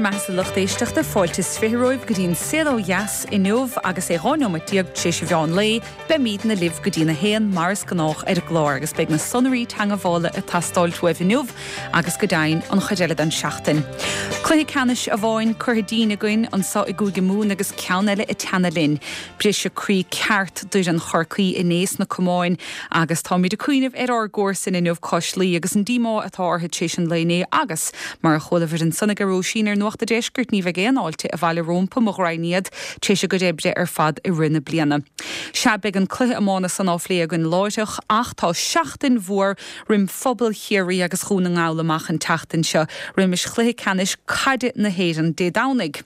Bhur mbeatha a lucht éisteachta, fáilte is 20 romhaibh go dtí an Saol Ó Dheas inniu agus é 12 nóiméad tar éis an mheán lae. Beimídne libh go dtí'n 1 mar is gnách ar an gclár agus beidh na sonraí teangabhála ag teastáilt uaibh inniu agus go deimhin an chuid eile den seachtain. Cluiche ceannais amháin curtha dínn againn anso i gCúige Mumhan agus ceann eile ag teannadh linn. Briseadh croí ceart d'fhoireann Chorcaí inné sna camáin agus táimid ag cuimhneamh ar ár gcomharsain inniu cois Laoi agus an díomá atá orthu tar éis an lae inné agus, mar a chualabhair ansan ag Róisín ar Nuacht a' Deiscirt, ní bheidh aon fháilte abhaile rómpa, mo ghraidhin iad, tar éis a gcuid oibre ar fad i rith na bliana. Sea, beidh an cluiche iomána san á phlé againn láithreach ach tá seachtain mhór roim phobal Chiarraí agus Dhún na nGall amach an tseachtain seo roimis chluiche ceannais caide na hÉireann Dé Domhnaigh.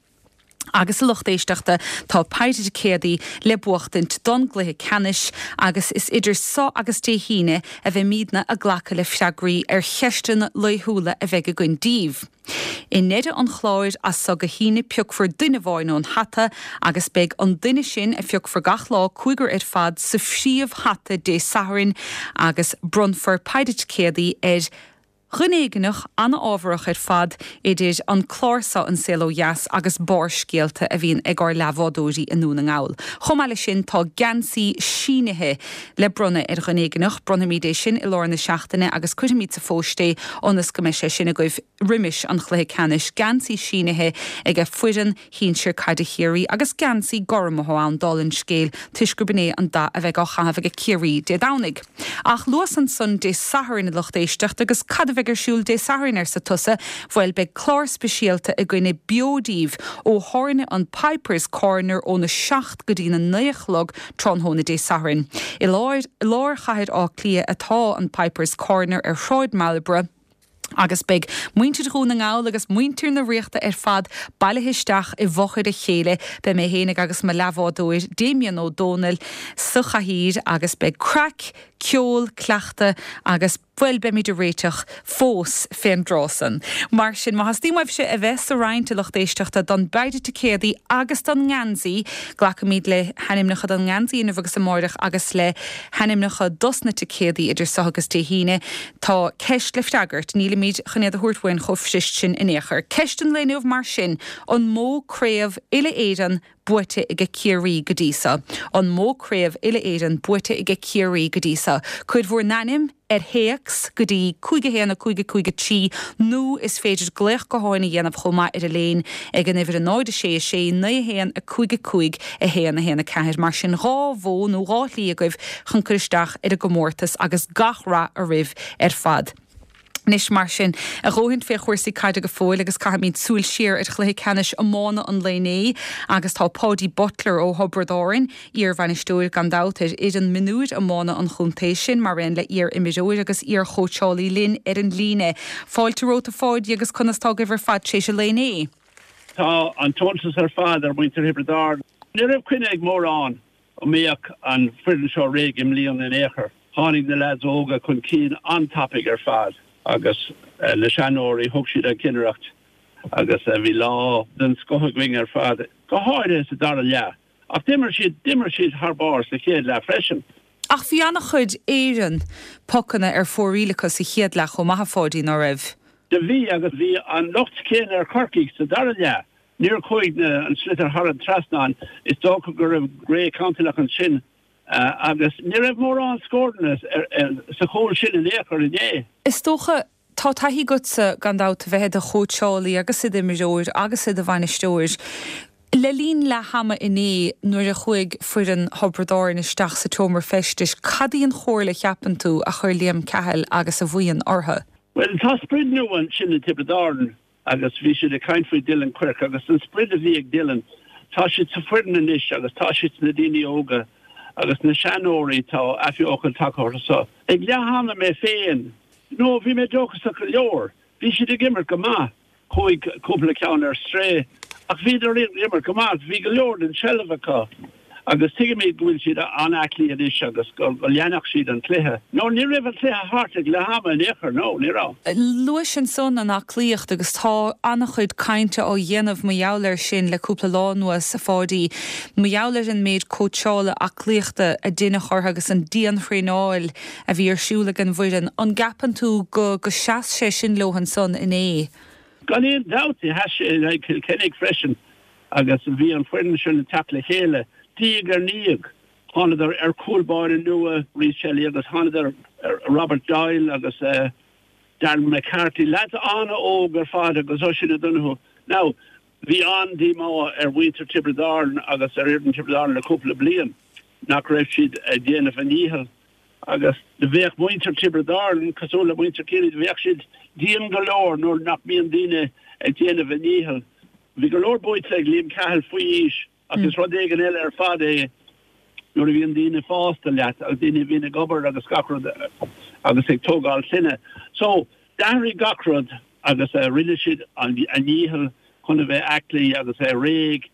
Agus a lucht éisteachta, tá péire ticéadaí le buachtaint don gcluiche ceannais agus is idir so agus Dé hAoine a bheimídne ag glacadh le freagraí ar cheisteanna laethúla a bheidh againn díbh. I ndeireadh an chláir as so go hAoine piocfar duine amháin ón hata agus beidh an duine sin a phiocfar gach lá, cúigear ar fad, sa phríomh-hata Dé Sathairn agus bronnfar péire ticéadaí ar Dhuine éigineach, ana-ámharach ar fad idir an clár so An Saol Ó Dheas agus Barrscéalta a bhíonn ag ár leathbhádóirí i nDún na nGall. Chomh maith leis sin tá geansaí sínithe le bronnadh ar dhuine éigineach. Bronnfaimid é sin i lár na seachtaine agus cuirfimid sa phóist é ionas go mbeidh sé sin agaibh roimis an chluiche ceannais. Geansaí sínithe age foireann shinsir caide Chiarraí agus geansaí gorm atá ann, dála an scéil, toisc gurb in é an dath a bheidh á chaitheamh age Ciarraí Dé Domhnaigh. Ach luas ansan Dé Sathairn, a lucht éisteachta, agus cad a bheidh ar siúl Dé Sathairn, arsa tusa? Bhuel, beidh clár speisialta againne beo díbh ó thábhairne an Piper's Corner óna 7 go dtína 9 a chlog tráthnóna Dé Sathairn. I lár lár chathair Átha Cliath atá an Piper's Corner ar Shráid Marlborough, agus beidh muintir Dhún na nGall agus muintir na Ríochta ar fad bailithe isteach i bhfochair a chéile. Beidh mé fhéinig agus mo leathbhádóir, Damien Ó Dónaill, sa chathaoir agus beidh craic, ceol, cleachtadh agus, bhuel, beimid ag réiteach fós fén dtráth san. Mar sin, má theastaíonn uaibhse a bheith sa roinnt, a lucht éisteachta, don bpeidhre ticéadaí agus don ngeansaí, glacfaimid le hainmneacha don ngeansaí inniu agus amáireach agus le hainmneacha dos na ticéadaí idir so agus Dé hAoine. Tá ceist le freagairt, nílimid chun iad a thabhairt uainn chomh fuirist sin in aon chor. Ceist an lae inniu mar sin, an mó craobh uile-Éireann buaite aige Ciarraí go dtí so? An mó craobh uile-Éireann buaite aige Ciarraí go dtí so? Cuir bhur n-ainm ar théacs go dtí 5 1 5 5 3 nó is féidir glaoch gutháin a dhéanamh chomh maith ar an léin ag an uimhir 0 6 6 9 1 5 5 1 1 4. Mar sin 2 mhodh nó 2 shlí agaibh chun cur isteach ar an gcomórtas agus gach rath oraibh ar fad. Anois mar sin, a dhóthain fé chúrsaí caide go fóill agus caithfimid súil siar ar chluiche ceannais iomána an lae inné agus tá Paudie Butler ó Thiobraid Árann, iar-bhainisteoir gan dabht ar fhoireann mionúir iomána an chontae sin, mar aon le iar-imreoir agus iar-chóitseálaí linn ar an líne. Fáilte romhat a Pháidí agus conas tá agaibh ar fad tar éis an lae inné? Tá an t-iontas ar fad ar mhuintir Thiobraid Árann. Ní raibh coinne ag mórán go mbeadh an foireann seo réidh i mbliana in aon chor. Tháinig na leaids óga chun cinn an-tapaidh ar fad agus na seanóirí, thug siad an chinnireacht agus bhí lá den scoth againn ar fad, go háirithe sa dara leath. Ach d'imir siad, d'imir siad thar barr sa chéad leath freisin. Ach bhí an-chuid Éireann pocanna ar fóraoil acu sa chéad leath chomh maith, a Pháidí, ná raibh? Do bhí, agus bhí an locht céanna ar Chorcaigh sa dara leath. Níor chuaigh an sliotar thar an trasnán. Is dócha go raibh ré cantalach ansin agus ní raibh mórán scóranna sa chúl sin in aon chor inné. Is dócha, tá taithí agatsa gan dabht a bheith i do chóitseálaí agus i d'imreoir agus i do bhainisteoir. Le linn leath ama inné nuair a chuaigh foireann Thiobraid Árann isteach sa tseomra feistis, cad í an chomhairle a cheapann tú a chuir Liam Cahill agus a bhuíon orthu? Bhuel, tá sprid nua ansin i dTiobraid Árann. Agus bhí siad ag caint faoi Dylan Quirke agus an sprid a bhí ag Dylan, tá siad sa foireann anois agus tá siad sna daoine óga agus na seanóirí, tá athbheochan tagtha orthu so. Ag leath ama mé féin, no, bhí mé dóchasach go leor. Bhí siad ag imirt go maith. Chuaigh cúpla ceann ar strae ach bhíodar ag imirt go maith. Bhí go leor den tseilbh acu. Agus tuigimid go bhfuil siad an-aclaí anois agus go leanfadh siad an cluiche. No, ní raibh an cluiche thart ag leath ama in aon chor, no, ní raibh. Luais ansan an aclaíocht agus tá an-chuid cainte á dhéanamh mar gheall air sin le cúpla lá anuas, a Pháidí. Mar gheall ar an méid cóitseála aclaíochta a deineadh orthu agus an dianthraenáil a bhí ar siúl ag an bhfoireann. An gceapann tú go go seas sé sin leo ansan inné? Gan aon dabht, sheas sé in aghaidh Chill Chainnigh freisin agus bhí an foireann sin ag teacht le chéile diaidh ar ndiaidh. Thánadar ar chúl báire nua, Rhys Shelly, agus thánadar ar Robert Doyle agus Darren McCarthy, leaids an-óg ar fad agus Oisín O'Donoghue. Now, bhí an-díomá ar mhuintir Tiobraid Árann agus ar fhoireann Tiobraid Árann le cúpla bliain nach raibh siad ag déanamh a ndícheall agus do bheadh muintir Tiobraid Árann cosúil le muintir Chiarraí, do bheadh siad dian go leor nuair nach mbíonn daoine ag déanamh a ndícheall. Bhí go leor buaite ag Liam Cahill faoi aois. Ach is rud éigin eile ar fad é nuair a bhíonn daoine fásta leat agus daoine a bhíonn ag obair agus gach rud agus ag tógáil clainne. So, d'athraigh gach rud agus rinne siad a ndícheall chun a bheith aclaí agus a bheith réidh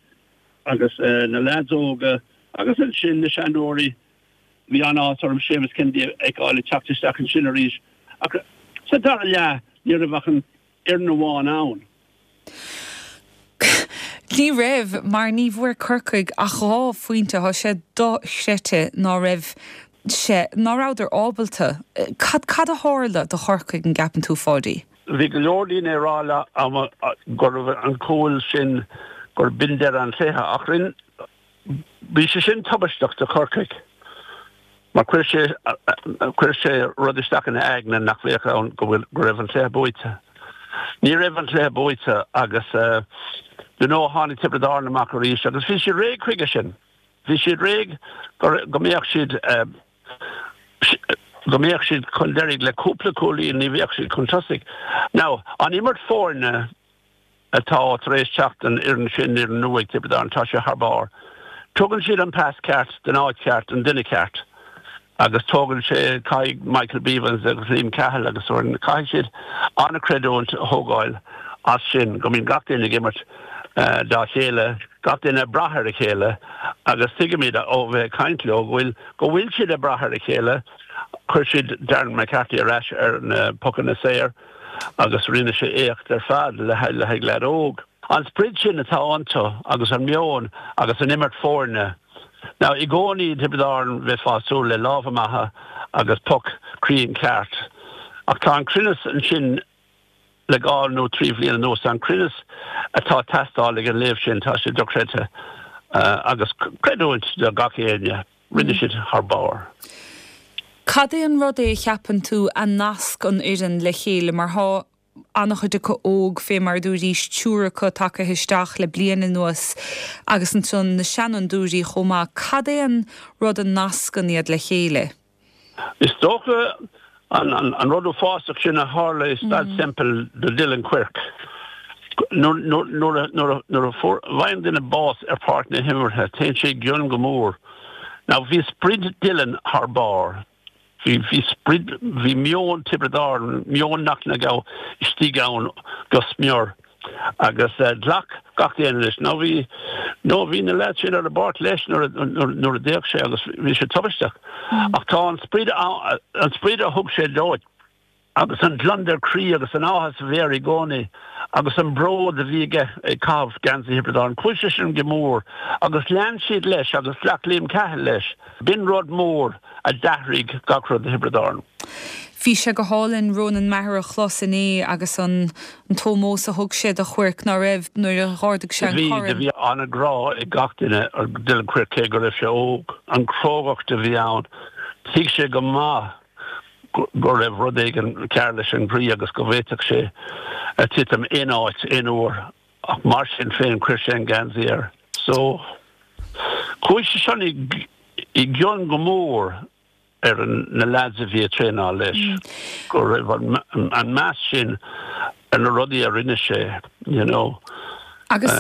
agus na leaids óga agus ansin na seanóirí. Bhí an-áthas orm Séamus Kennedy a fheiceáil ag teacht isteach ansin arís ach sa dara leath ní raibh ach an fhoireann amháin ann. Ní raibh, mar ní bhfuair Corcaigh ach 2 phointe. Tá sé dochreidte ná raibh sé, ná rabhadar ábalta. Cad, cad a tharla do Chorcaigh, an gceapann tú, Pháidí? Bhí go leor daoine ag rá liom go raibh an cúl sin, gur b'in deireadh an chluiche ach rinn, Bhí sé sin tubaisteach do Chorcaigh mar chuir sé chuir sé rud isteach ina aigne nach bheadh ann go bhfuil go raibh an cluiche buaite. Ní raibh an cluiche buaite agus you know tháinig Tiobraid Árann amach arís agus bhí siad réidh chuige sin. Bhí siad réidh go go mbeadh siad go mbeadh siad chun deiridh le cúpla cúilín ní bheadh siad chun tosaigh. Now an imirt foirne atá tar éis teacht don fhoireann sin, fhoireann nua ag Tiobraid Árann, tá sé thar barr. Tugann siad an pas ceart don áit cheart don duine ceart agus tógann sé, caithfidh Michael Beavens agus Liam Cahill agus foireann, caithfidh siad an-chreidiúint a thógáil as sin, go mbíonn gach duine ag imirt dá chéile, gach duine ag brath ar a chéile agus tuigimid ó bheith ag caint leo go bhfuil, go bhfuil siad ag brath ar a chéile. Chuir siad Darren McCarthy ar ais ar na pocanna saor. agus rinne sé éacht ar fad le haghaidh leaid óg. An sprid sin atá iontu agus an meon agus an imirt foirne. Now i gcónaí i dTiobraid Árann bheifeá ag súil le lámha maithe agus poc cruinn ceart ach tá an cruinneas ansin le dhá nó trí bhliain anuas, an cruinneas atá ag teastáil ag an léibh sin, tá sé dochreidte agus creidiúint do gach éinne. Rinne siad thar barr. Cad é an rud é a cheapann tú a nasc an fhoireann le chéile mar thá an-chuid acu óg fé mar a dúraís, triúr acu tagaithe isteach le bliain anuas agus ansan na seanfhondúirí chomh maith. Cad é an rud a nascann iad le chéile? Is dócha an rud uafásach sin a tharla i Staid Semple do Dylan Quirke. Nuair a fhaigheann duine bás ar pháirc na himeartha, téann sé i gcion go mór. Now bhí sprid Dylan thar barr. Bhí sprid, bhí meon Tiobraid Árann, meon nach na istigh ann go smior. Agus ghlac gach éinne leis. Nó bhí, nó bhí na leaids sin ar an bpáirc leis nuair a, nuair a d'éag sé agus bhí sé tubaisteach. Ach tá an sprid, an sprid a thug sé dóibh agus an gliondar croí agus an áthas a bhí air i gcónaí agus an bród a bhí aige ag caitheamh geansaí Thiobraid Árann, chuaigh sé sin go mór agus lean siad leis agus ghlac Liam Cahill leis. B'in rud mór a d'athraigh gach rud do Thiobraid Árann. Bhí sé go hálainn Ronan Maher a chlos inné agus an t-ómós a thug sé do Quirke, ná raibh, nuair a dh'ardaigh sé an corn. Bhí, bhí an-ghrá ag gach duine ar Dylan Quirke cé go raibh sé óg. An chrógacht a bhí ann, thuig sé go maith go raibh rud éigin cearr leis an gcroí agus go bhféadfadh sé titim aon áit, aon uair ach mar sin féin chuir sé an geansaí air. So, chuaigh sé sin i gcion go mór ar na leaids a bhí ag traenáil leis, go raibh an meas sin ar na rudaí a rinne sé, you know. Agus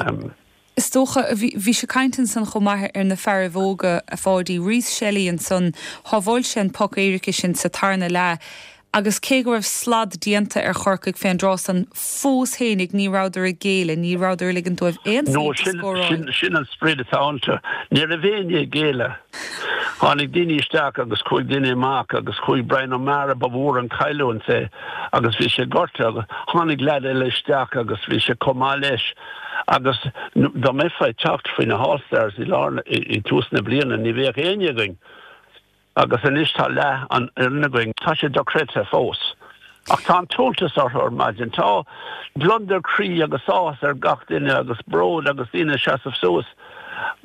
is dócha, bhí sé ag caint ansan chomh maith ar na fearaibh óga, a Pháidí, Rhys Shelly ansan, shábháil sé an poc éirice sin sa tarna leath agus cé go raibh slad déanta ar Chorcaigh fén dtráth san, fós fhéinig ní rabhadar ag géilleadh, ní rabhadar ag ligint dóibh aon phointe a scóráil. No, sin an sprid atá iontu. Ní raibh éinne ag géilleadh. Tháinig daoine isteach agus chuaigh daoine amach agus chuaigh Brian O'Meara, ba mhór an chailliúint é agus bhí sé gortaithe agus tháinig leaid eile isteach agus bhí sé chomh maith leis agus dá mbeifeá ag teacht faoi na hAll Stars i lár, i dtús na bliana ní bheadh éinne againn agus anois tá leath an fhoireann againn. Tá sé dochreidte fós. Ach tá an t-iontas orthu ar maidin. Tá gliondar croí agus áthas ar gach duine agus bród agus daoine ag seasamh suas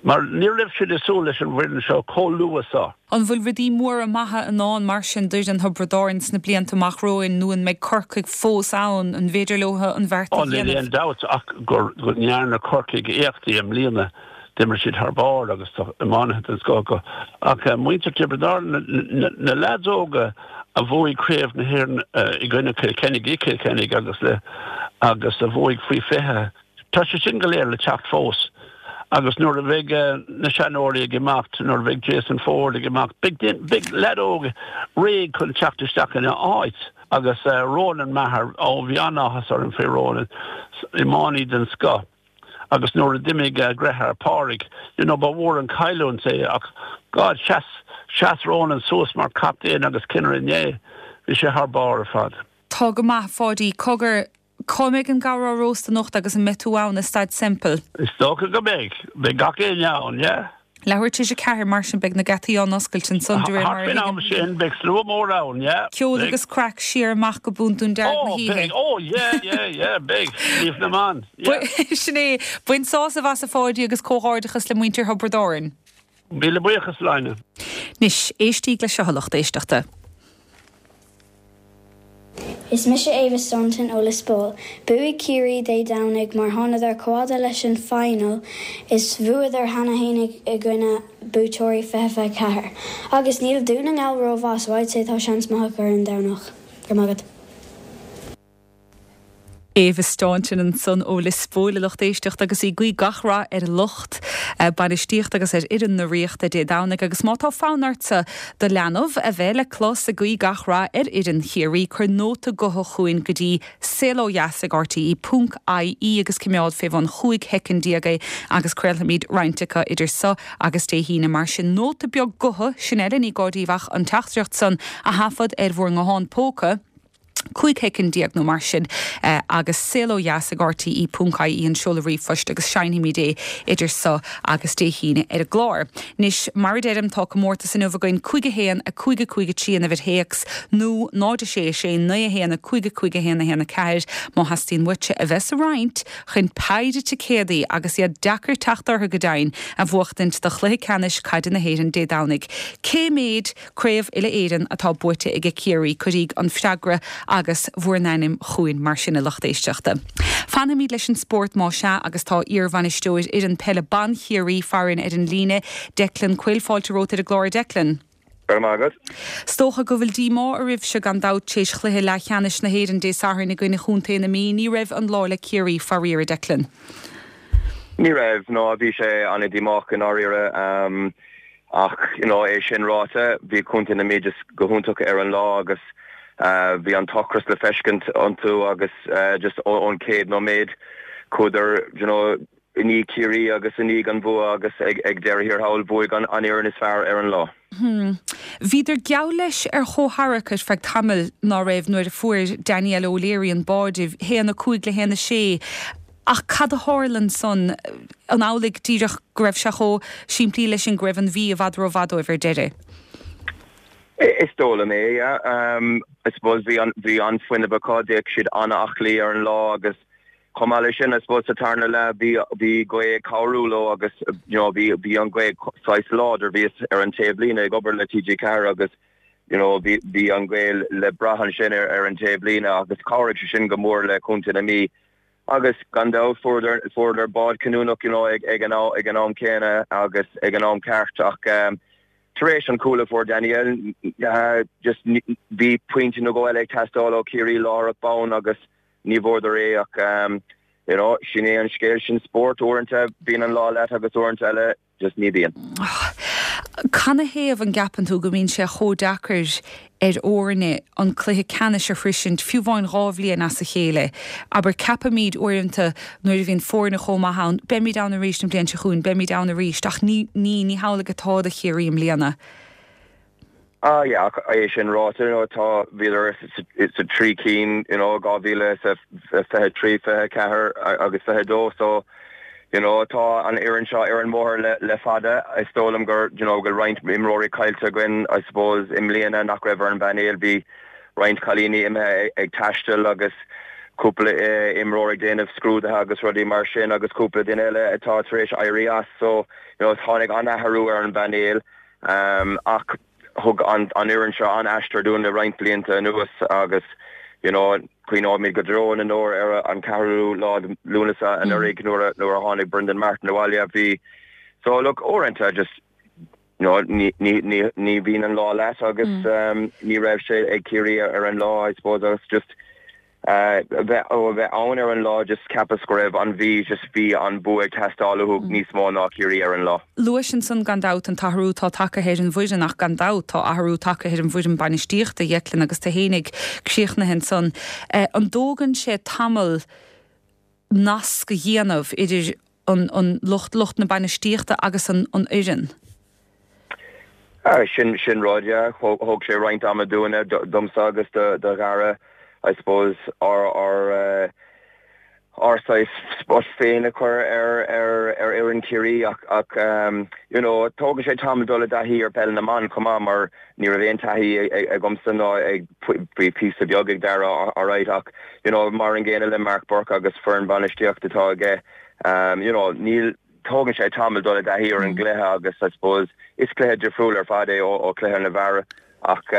mar ní raibh siad ag súil leis an bhfoireann seo chomh luath so. An bhfuil rudaí móra maithe i ndán mar sin d'fhoireann Thiobraid Árann sna blianta amach romhainn nó an mbeidh Corcaigh fós ann? An bhféidir leo an bheart a dhéanamh? Níl aon dabht ach go ndearna Corcaigh éachtaí i mbliana. D'imir siad thar barr agus tá iománaithe den scoth acu. Ach muintir Tiobraid Árann, na leaids óga a bhuaigh Craobh na hÉireann i gcoinne Chill Chainnigh i gCill Chainnigh agus le agus a bhuaigh faoi 20, tá sé sin go léir le teacht fós. Agus nuair a bheidh na seanóirí ag imeacht, nuair a bheidh Jason Forde ag imeacht, beidh beidh leaid óg réidh chun teacht isteach ina áit. Agus Ronan Maher, ó bhí an-áthas orm faoi Ronan, iománaí den scoth. Agus nuair a d'imigh a dheartháir Pádraig, you know, ba mhór an chailliúint é ach God, sheas, sheas Ronan suas mar chaptaen agus cinnire inné. Bhí sé thar barr ar fad. Tá go maith, a Pháidí. Cogar, cá mbeidh an gabhar á róstadh anocht agus an mbeidh tú ann i Staid Semple? Is dócha go mbeidh. Beidh gach éinne ann, yeah. Leathuair tar éis a ceathair, mar sin beidh na geataí á n-oscailt ansan de réir mar a thuigim. Thart faoin am sin beidh slua mór ann, yeah. Ceol agus craic siar amach go Bundún Dearg na hoíche. Oh, beidh, oh yeah, yeah, yeah, beidh. Naomh na mBan, yeah. Sin é. Bain sásamh as a Pháidí agus comhghairdeachas le muintir Thiobraid Árann. Míle buíochas, Áine. Anois, éistíg le seo a lucht éisteachta. Is mise Ava Staunton ó Lios Póil. Buafaidh Ciarraí Dé Domhnaigh mar thánadar chomh fhada leis an final is bhuadar cheana fhéin i gcoinne buaiteoirí 2024. Agus níl Dún na nGall rómhaith so I'd say tá seans maith acu ar an Domhnach. Go raibh maith agat. Ava Staunton ansan ó Lios Póil, a lucht éisteachta, agus í ag guí gach rath ar lucht bainistíochta agus ar fhoireann na Ríochta Dé Domhnaigh. Agus má tá fonn ortsa do leanbh a bheith le clos ag guí gach rath ar fhoireann Chiarraí, cuir nóta gutha chugainn go dtí saolódheas ag rte ponc ie agus coimeád fé bhun 15 shoicind é agus craolfaimid roinnt acu idir so agus Dé hAoine. Mar sin, nóta beag gutha, sin eile, ní gá daoibh ach an teachtaireacht san a thaifead ar bhur nguthán póca. 15 shoicind nó mar sin agus saolódheas ag rte ponc ie an seoladh ríomhphoist agus seinnfimid é idir so agus Dé hAoine ar an gclár. Anois, mar a deirim, tá comórtas inniu againn, 5 1 5 5 3 an uimhir théacs nó 0 6 6 9 1 5 5 1 1 4 má theastaíonn uaitse a bheith sa roinnt chun péire ticéadaí, agus iad deacair teacht orthu go deimhin, a bhuachtaint do chluiche ceannais caide na hÉireann Dé Domhnaigh. Cé méid Craobh Uile-Éireann atá buaite aige Ciarraí, cuiríg an freagra agus bhur n-ainm chugainn mar sin a lucht éisteachta. Fanfaimid leis an spórt más ea agus tá iar-bhainisteoir fhoireann peile ban Chiarraí farainn ar an líne, Declan Quill. Fáilte romhat ar an gclár a Declan. Go raibh maith agat. 'S dócha go bhfuil díomá oraibhse gan dabht tar éis chluiche leathcheannais na hÉireann Dé Sathairn i gcoinne Chontae na Mí. Ní raibh an lá le Ciarraí faraor, a Declan. Ní raibh, no bhí sé an-díomách i ndáiríre. Ach, you know, é sin ráite, bhí Contae na Mí just go hiontach ar an lá agus bhí an t-ocras le feiscint iontu agus just ón chéad nóiméad chuadar, you know, i ndiaidh Ciarraí agus i ndiaidh an bhua agus ag deireadh thiar thall bhuaigh an fhoireann is fearr ar an lá. Bhíodar geall leis ar chomhtharrac ar feadh tamaill, ná raibh, nuair a fuair Danielle O'Leary an báide, 1, 5 le 1, 6. Ach cad a tharla ansan? An amhlaidh díreach go raibh sé chomh simplí leis sin, go raibh an Mhí i bhfad rómhaith dóibh ar deireadh? Is dóigh liom é, yeah. I suppose bhí an, bhí an-fhuinneamh acu, d'fhéach siad an-aclaí ar an lá agus chomh maith leis sin, I suppose sa tarna leath bhí, bhí gaoth ag cabhrú leo agus you know bhí, bhí an ghaoth saghas láidir, bhíos ar an taobhlíne ag obair le TG4 agus you know bhí, bhí an ghaoth le brath ansin ar, ar an taobhlíne agus chabhraigh sé sin go mór le Contae na Mí. Agus gan dabht fuaireadar, fuaireadar bád cinniúnach you know ag, ag an, ag an am céanna agus ag an am ceart ach tar éis an cúl a fuair Danielle just bhí pointe nó dhó eile ag teastáil ó Chiarraí láithreach bonn agus ní bhfuaireadar é ach you know sin é an scéal, sin spórt, uaireanta bíonn an lá leat agus uaireanta eile Just ní bhíonn. Canathaobh an gceapann tú go mbíonn sé chomh deacair ar fhoirne an cluiche ceannais a shroisint, fiú amháin 2 bhliain as a chéile? Abair, ceapaimid uaireanta nuair a bhíonn foirne chomh maith ann, beimid ann arís an bhliain seo chugainn, beimid ann arís, ach ní, ní, ní hamhlaidh atá do Chiarraí i mbliana. Ah yeah, ach é sin ráite, you know, tá, bhíodar sa trí cinn, you know, 2023, 24 agus 22, so, you know, tá an fhoireann seo ar an mbóthar le, le fada. Is dóigh liom gur, you know, go bhfuil roinnt imreoirí caillte againn, I suppose, i mbliana nach raibh ar an bpainéal. Bhí. roinnt cailíní imithe ag taisteal agus cúpla imreoir ag déanamh scrúduithe agus rudaí mar sin agus cúpla duine eile atá tar éis éirí as so you know tháinig an-athrú ar an bpainéal ach thug an fhoireann seo an-aistear dúinn le roinnt blianta anuas agus you know cuimhneoimid go deo na ndeor ar an ceathrú lá de Lúnasa anuraidh nuair a nuair a tháinig Brendan Martin abhaile bhí so look uaireanta just you know ní ní ní ní bhíonn an lá leat agus ní raibh sé ag Ciarraí ar an lá I suppose agus just bheith ó a bheith ann ar an lá just cheapas go raibh an Mhí just bhí an bua ag teastáil uathu níos mó ná Ciarraí ar an lá. Luais ansan gan dabht an t-athrú atá tagtha ar an bhfoireann ach gan dabht tá athrú tagtha ar an bhfoireann bainistíochta, a Dheiclin, agus tú fhéinig críochnaithe ansan. An dtógann sé tamall nasc a dhéanamh idir an an lucht lucht na bainistíochta agus an an fhoireann. Sin sin rud, yeah. Thóg sé roinnt ama dúinne, domsa agus do do Dhara, I suppose, ár ár ár saghas spot féin a chur ar ar ar fhoireann Chiarraí ach ach you know, tógann sé tamall dul i dtaithí ar peil na mban chomh maith mar ní raibh aon taithí agamsa ná ag bhí píosa beag ag Dara alright ach you know, mar an gcéanna le Mark Burke agus foireann bainistíochta atá aige You know, níl, tógann sé tamall dul i dtaithí ar an gcluiche agus I suppose is cluiche difriúil ar fad é ó chluiche na bhfear ach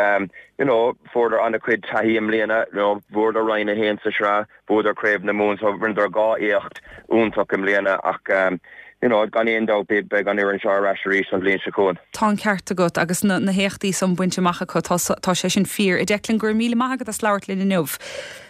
you know, fuaireadar an-chuid taithí i mbliana, you know, bhuadar Roinn 1 sa sraith, bhuadar Craobh na Mumhan so rinneadar 2 éacht iontach i mbliana ach you know, gan aon dabht beidh an fhoireann seo ar ais arís an bhliain seo chugainn. Tá an ceart agat agus na na héachtaí san bainte amach acu, tá tá sé sin fíor. A Declan, go raibh míle maith agat as labhairt linn inniu.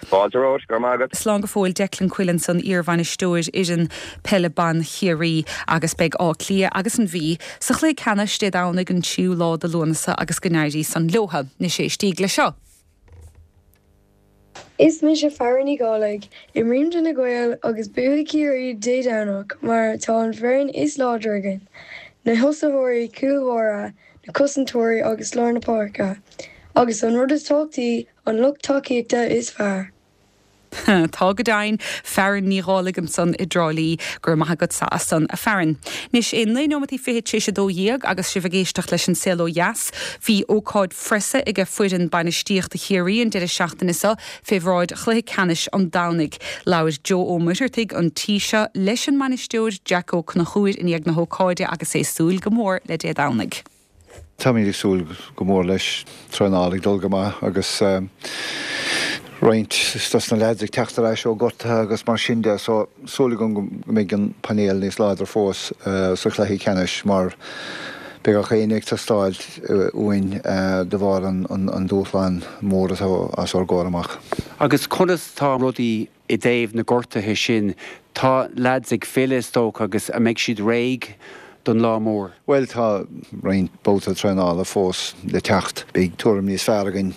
Fáilte romhat, go raibh maith agat. Slán go fóill, Declan Quillen ansan, iarbhainisteoir fhoireann peile ban Chiarraí agus beidh Áth Cliath agus an Mhí sa chluiche ceannais Dé Domhnaigh an tríú lá de Lúnasa agus go n-éirí san leotha. Anois éistíg le seo. Is mise Farah Ní Dhálaigh, imrím do na Gaeil agus buafaidh Ciarraí Dé Domhnach mar tá an foireann is láidre againn, na thosaitheoirí, cúl báire, na cosantóirí agus lár na páirce, agus an rud is tábhachtaí, An lucht tacaíochta is fearr. Tá go deimhin. Fearann Ní Dhálaigh ansan i dTrá Lí. Go raibh maith agatsa as san, a Fearann. Anois é 9 nóimeataí fichead tar éis 12 agus sibh ag éisteacht leis an Saol Ó Dheas. Bhí ócáid phreasa aige foireann bainistíochta Chiarraí an deireadh seachtaine seo fé bhráid chluiche ceannais an Domhnaigh. Labhair Joe Ó Muircheartaigh an tí seo leis an mbainisteoir Jack Ó Conchúir i ndiaidh na hócáide agus é ag súil go mór le Dé Domhnaigh. Táimid ag súil go mór leis. Traenáil ag dul go maith agus roinnt dos na leaids ag teacht ar ais ó gortuithe agus mar sin de so súil agam go mbeidh an painéal níos láidre fós sa chluiche ceannais mar beidh gach éinne ag teastáil uainn de bharr an dúshlán mór atá os ár gcomhair amach. Agus conas tá rudaí I dtaobh na gortuithe sin, tá leaids ag filleadh is dócha agus an mbeidh siad réidh don lá mór? Bhuel, tá roinnt babhta traenála fós le teacht. Beidh tuairim níos fearr againn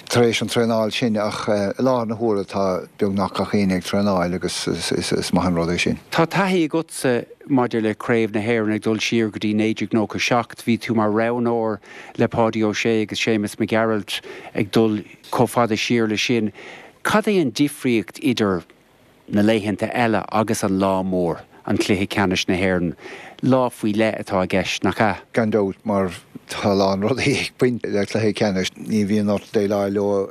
tar éis an traenáil sin ach i láthair na huaire tá beagnach gach éinne ag traenáil agus is maith an rud é sin. Tá taithí agatsa maidir le Craobh na hÉireann ag dul siar go dtí 1997. Bhí tú mar roghnóir le Páidí Ó Sé agus Séamus Mac Gearailt ag dul chomh fada siar le sin. Cad é an difríocht idir na laethanta eile agus an lá mór, an Cluiche Ceannais na hÉireann? Lá faoi leith atá i gceist, nach ea? Gan dabht, mar tá a lán rudaí ag baint le cluiche ceannais. Ní bhíonn ort déileáil leo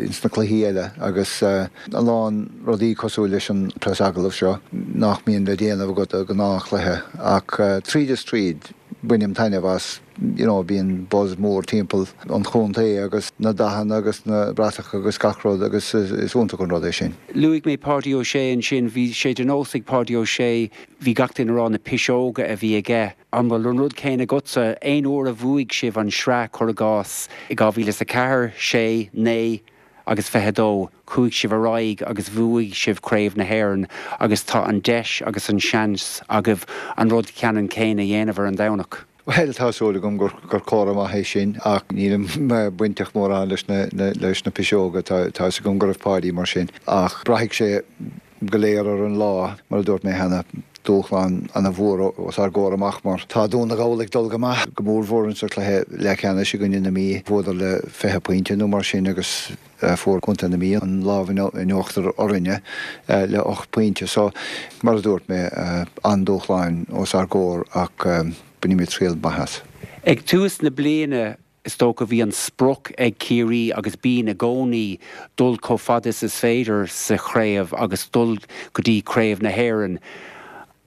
ins na cluichí eile agus a lán rudaí cosúil leis an preasagallamh seo nach mbíonn le déanamh agat do ghnáthchluiche. Ach tríd is tríd, bainim taitneamh as. you know bíonn buzz mór timpeall an chontae agus na dathanna agus na bratacha agus gach rud agus is iontach an rud é sin. Luaigh mé Páidí Ó Sé ansin, bhí sé de nós ag Páidí Ó Sé, bhí gach duine ag rá na piseoga a bhí aige. An bhfuil an rud céanna agatsa? Aon uair a bhuaigh sibh an sraith, cuir i gcás, i 2004, 6, 9 agus 22, chuaigh sibh ar aghaidh agus bhuaigh sibh Craobh na hÉireann agus tá an deis agus an seans agaibh an rud ceannann céanna a dhéanamh ar an Domhnach. Bhuel, tá súil agam gur comhartha maith é sin, ach nílim bainteach mórán leis na piseoga, tá fhios agam go raibh Páidí mar sin. Ach braithfidh sé go léir ar an lá, mar a dúirt mé cheana, dúshlán ana-mhór os ár gcomhair amach mar tá Dún na nGall ag dul go maith, go mórmhór insa chluiche leathcheannais i gcoinne na Mí, bhuadar le 20 pointe nó mar sin agus fuair contae na Mí an lámh in uachtar orainne le 8 pointe. So, mar a dúirt mé, an-dúshláin os ár gcomhair ach bainfimid triail maith as. Ag tús na bliana. Is dócha bhí an sprioc ag Ciarraí agus bíonn i gcónaí dul chomh fada is is féidir sa chraobh agus dul go dtí Craobh na hÉireann.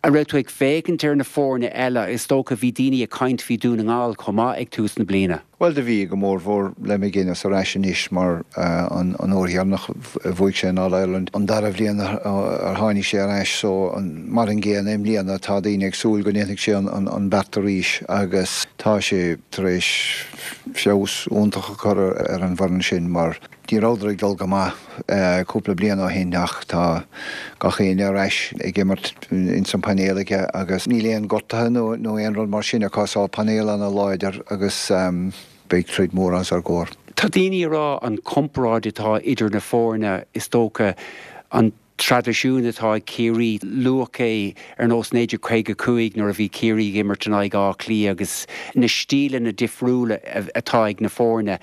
An raibh tú ag féachaint ar na foirne eile? Is dócha bhí daoine ag caint faoi Dún na nGall chomh maith ag tús na bliana. Bhuel do bhí, go mórmhór le McGuinness ar ais anois mar an uair dheireanach a bhuaigh sé an All Ireland, an dara bhliain ar tháinig sé ar ais so mar an gcéanna i mbliana tá daoine ag súil go ndéanfaidh sé an beart arís agus tá sé tar éis feabhas iontach a chur ar an bhfoireann sin mar Ní rabhadar ag dul go maith cúpla bliain ó shin ach tá gach éinne ar ais ag imirt ins an painéal aige agus níl aon gortaithe nó nó aon rud mar sin acu so painéal ana láidir agus beidh troid mór os ár gcomhair. Tá daoine ag rá an chomparáid atá idir na foirne is dócha an traidisiún atá ag Ciarraí. Luadh é ar nós 1955 nuair a bhí Ciarraí ag imirt in aghaidh Átha Cliath agus na stíleanna difriúla atá ag na foirne.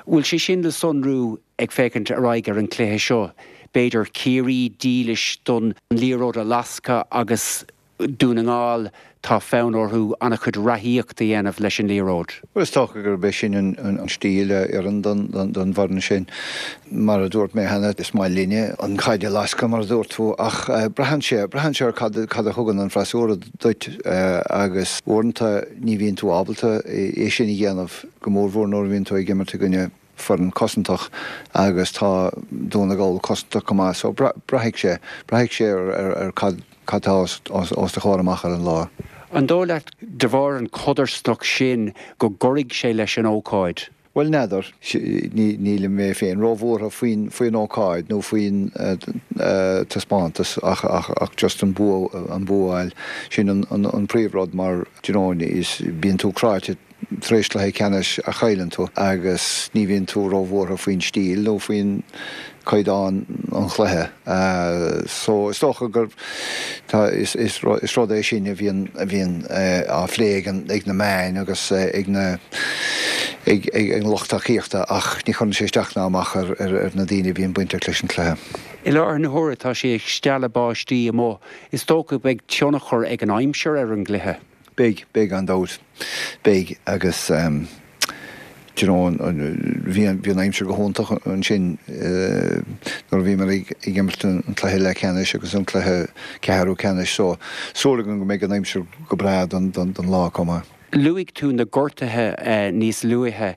Bhfuil sé sin le sonrú ag féachaint ar aghaidh ar an chluiche seo? B'fhéidir Ciarraí dílis don liathróid a lascadh agus Dún na nGall, tá fonn orthu an-chuid reathaíocht a dhéanamh leis an liathróid. Bhuel, is dócha gurb é sin an stíl a oireann don bhfoireann sin. Mar a dúirt mé cheana, is maith linne an chaid a lascadh, mar a dúirt tú, ach braitheann sé, braitheann sé ar cad, cad a thugann an freasúra duit agus uaireanta ní bhíonn tú ábalta é sin a dhéanamh, go mórmhór nuair a bhíonn tú ag imirt i gcoinne foireann cosantach agus tá Dún na nGall cosantach go maith so braithfidh sé, braithfidh sé ar cad cad tá os do chomhair amach ar an lá. An dóigh leat, de bharr an chodarsnacht sin, go gcuirfidh sé leis an ócáid? Bhuel, n'fheadar. Nílim mé féin róbhuartha faoin faoin ócáid nó faoin taispeántas ach ach just an bua an bua a fháil. Sin an an príomhrud mar, do you know, is bíonn tú cráite tar éis cluiche ceannais a chailleann tú agus ní bhíonn tú róbhuartha faoin stíl nó faoin caighdeán an chluiche. So is dócha gur tá is is rud é sin a bhíonn a bhíonn á phlé ag an ag na meáin agus ag na ag ag an lucht tacaíochta ach ní chuireann sé isteach ná amach ar ar ar na daoine a bhíonn bainteach leis an cluiche. I láthair na huaire tá sé ag stealladh báistí amuigh. Is dócha beidh tionchar ag an aimsir ar an gcluiche. Beidh, beidh gan dabht. Beidh agus do you know bhí an, bhí an aimsir go hiontach ansin nuair a bhíomar ag imirt an cluiche leathcheannais agus an cluiche ceathrú ceannais so súil agam go mbeidh an aimsir go breá don, don, don lá chomh maith. Luaigh tú na gortuithe níos luaithe.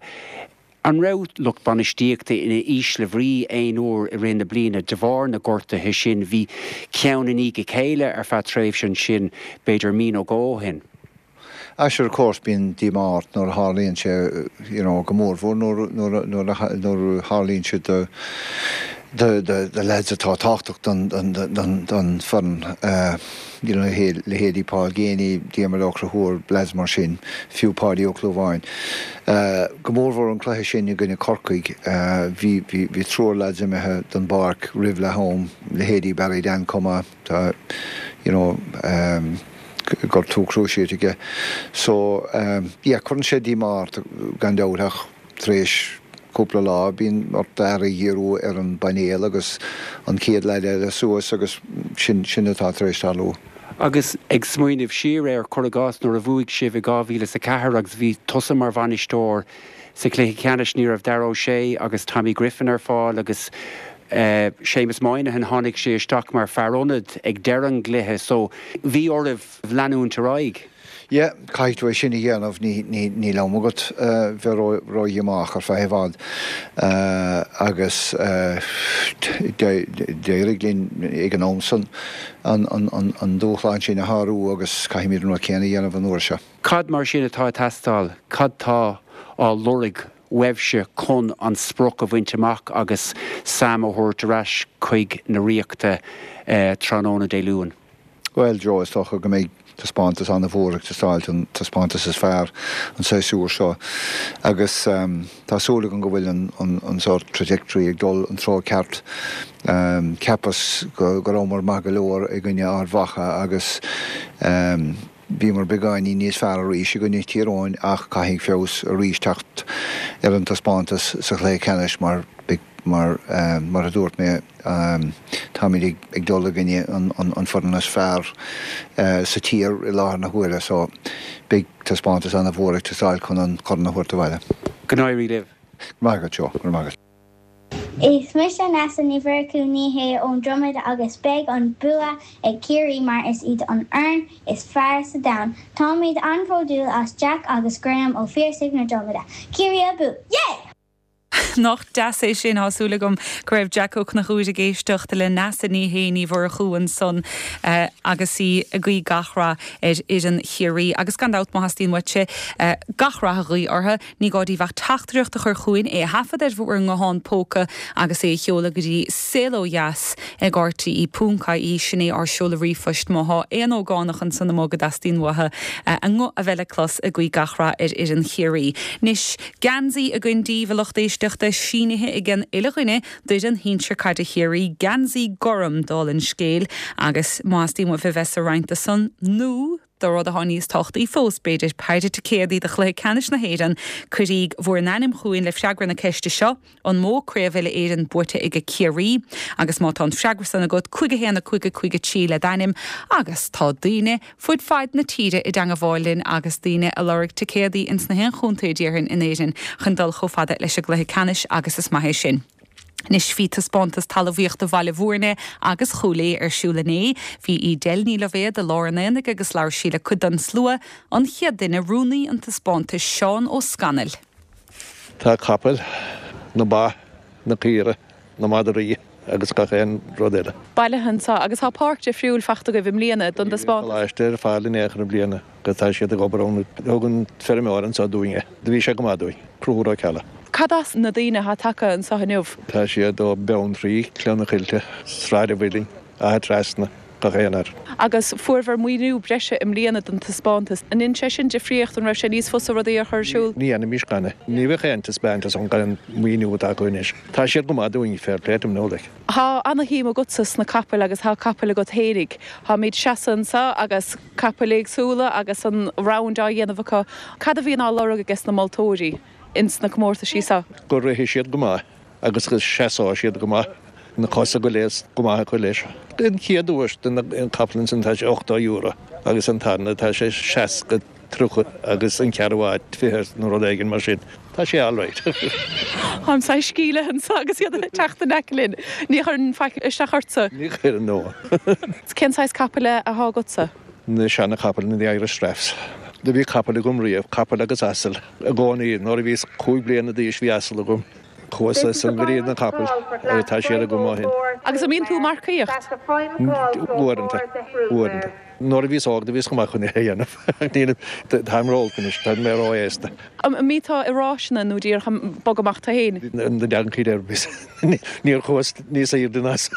An raibh lucht bainistíochta in ísle bhrí aon uair i rith na bliana de bharr na ngortuithe sin? Bhí ceann i ndiaidh a chéile ar feadh tréimhse ansin, b'fhéidir mí nó dhó ó shin. Ah sure of course bíonn díomá ort nuair a tharlaíonn sé, you know, go mórmhór nuair, nuair, nuair a, nuair a tharlaíonn sé do, do, do, do lads atá tábhachtach don, don, don, don foireann. You know, leithéidí Paul Geaney, Diarmuid Ó Conchúir, lads mar sin, fiú Páidí Ó Clúmháin. Go mórmhór an cluiche sin i gcoinne Corcaigh, bhí, bhí, bhí triúr lads imithe den bpáirc roimh leath am, leithéidí Barry Dan chomh maith, tá, you know, gortú cruciate aige. So, yeah, cuireann sé díomá ort gan dabht ach tar éis cúpla lá bíonn ort d'aire a dhíriú ar an bpainéal agus an chéad leaid eile suas agus sin, sin atá tar éis tarlú. Agus ag smaoineamh siar air, cuir i gcás nuair a bhuaigh sibh i 2004 agus bhí tusa mar bhainisteoir sa chluiche ceannais, ní raibh Darragh O'Shea agus Tommy Griffin ar fáil agus Séamus Moynihan, tháinig sé isteach mar fear ionaid ag deireadh an gcluiche so bhí oraibh leanúint ar aghaidh. Yeah, caithfidh tú é sin a dhéanamh, níl am agat bheith ró-dhíomách ar feadh i bhfad agus d'éirigh linn ag an am san an dúshlán sin a shárú agus caithfimid an rud céanna a dhéanamh an uair seo. Cad mar sin atá ag teastáil? Cad tá á lorg uaibhse chun an sprioc a bhaint amach agus Sam a thabhairt ar ais chuig na Ríochta tráthnóna Dé Luain? Bhuel, Joe, is dócha go mbeidh taispeántas an-mhór ag teastáilt, an taispeántas is fearr an séasúr seo agus tá súil agam go bhfuil an sórt trajectory ag dul an treo ceart. Cheapas go rabhamar maith go leor i gcoinne Ard Mhacha agus bhíomar beagáinín níos fearr arís i gcoinne Thír Eoghain ach caithfidh feabhas arís teacht ar an taispeántas sa chluiche ceannais mar mar mar a dúirt mé táimid ag dul i gcoinne an foireann is fearr sa tír i láthair na huaire so beidh taispeántas an-mhór ag teastáil chun an corn a thabhairt abhaile. Go n-éirí libh. Go raibh maith agat, Joe. Go raibh maith agat. Is mise Neasa Ní Mhurchú, ní hé, ón Dromad agus beidh an bua ag Ciarraí mar is iad an fhoireann is fearr sa domhan. Táimid an-bhródúil as Jack agus Graham Ó Phiarsaigh na Dromada. Ciarraí abú! Yay! Nach deas é sin? Tá súil agam go raibh Jack Ó Conchúir ag éisteacht le Neasa Ní Shé Ní Mhurchú ansan agus í ag guí gach rath ar fhoireann Chiarraí. Agus gan dabht má theastaíonn uaitse gach rath a ghuí orthu, ní gá daoibh ach teachtaireacht a chur chugainn, é a thaifead ar bhur nguthán póca agus é a sheoladh go dtí Saol Ó Dheas ag rte ponc ie, sin é ár seoladh ríomhphoist má thá aon ógánach ansan amuigh go dteastaíonn uathu a nguth a bheith le clos ag guí gach rath ar fhoireann Chiarraí. Anois, geansaí againn daoibh, a lucht éisteachta, sínithe ag an uile dhuine d'fhoireann shinsir caide Chiarraí, geansaí gorm, dála an scéil, agus má theastaíonn uaibh a bheith sa roinnt san, nó do rud atá níos tábhachtaí fós, b'fhéidir, péire ticéadaí do chluiche ceannais na hÉireann, cuiríg bhur n-ainm chugainn le freagra na ceiste seo, An mó Craobh Uile-Éireann buaite ag Ciarraí? Agus má tá an freagra san agat, 5 1 5 5 3 le d'ainm agus tá daoine fud fad na tíre i dteangabháil linn agus daoine a lorg ticéadaí ins na haon chontae déarfainn in Éirinn chun dul chomh fada leis an gcluiche ceannais agus is maith é sin. Anois bhí taispeántas talmhaíochta Bhaile Bhúirne agus Chúil Aodha ar siúl inné. Bhí Edel Ní Loibhéad i lár an aonaigh agus labhair sí le cuid den slua. An chéad duine, rúnaí an taispeántais, Seán Ó Scanaill. Tá capaill, na ba, na caoire, na madraí agus gach aon rud eile. Bailithe anseo agus tá páirc difriúil fachta agaibh i mbliana don dtaispeántas. Níl an coláiste ar fáil in aon chor i mbliana agus tá siad ag obair ann. Thug an feirmeoir anseo dúinn é. Do bhí sé go maith dúinn. Conchúr Ó Ceallaigh. Cad as na daoine atá tagtha anseo inniu? Tá siad ó Beanntraí, Cleith na Coillte, Sráid an Mhuilinn, Áth Trasna. gach aon áit. Agus fuaireabhair maoiniú breise i mbliana don taispeántas. An ndein sé sin difríocht? An raibh sé níos fusa rudaí a chur ar siúl? Ní dhéanfaimis gan é. Ní bheadh aon taispeántas ann gan an maoiniú atá acu anois. Tá siad go maith dúinn, fair play to them now like. Tá ana-shuim agatsa sna capaill agus tá capaill agat fhéinig. Táimid seasamh anseo agus capaill éagsúla agus an round á dhéanamh acu. Cad a bhíonn á lorg ages na moltóirí ins na comórtaisí seo? Go rithfidh siad go maith. agus go seasóidh siad go maith, na cosa go léir go maith acu leis. An chéad duais don capall ansin tá sé €80 agus an tarna tá sé 60, 30 agus an ceathrú áit 20 nó rud éigin mar sin. Tá sé alright. Táim saghas sceimhlithe anseo agus iad ag teacht in aice linn. Ní chuireann faic isteach ortsa? Ní chuireann, no. Cén saghas capaill atá agatsa? Na seana chapaill, na Irish Draughts. Do bhí capall agam riamh, capall agus asal i gcónaí. Nuair a bhíos 5 bliana d'aois bhí asal agam. Chuas ansan go dtí na capaill agus tá siad agam ó shin. Agus an mbíonn tú ag marcaíocht? Uaireanta. Uaireanta. Nuair a bhíos óg do bhíos go maith chun é a dhéanamh. Nílim, táim ró-olc anois, tá mé ró-aosta. An mbíonn tú i ráiseanna nó díreach ag bogadh amach tú féin? Na donkey derbies. Níor chuas níos aoirde ná san.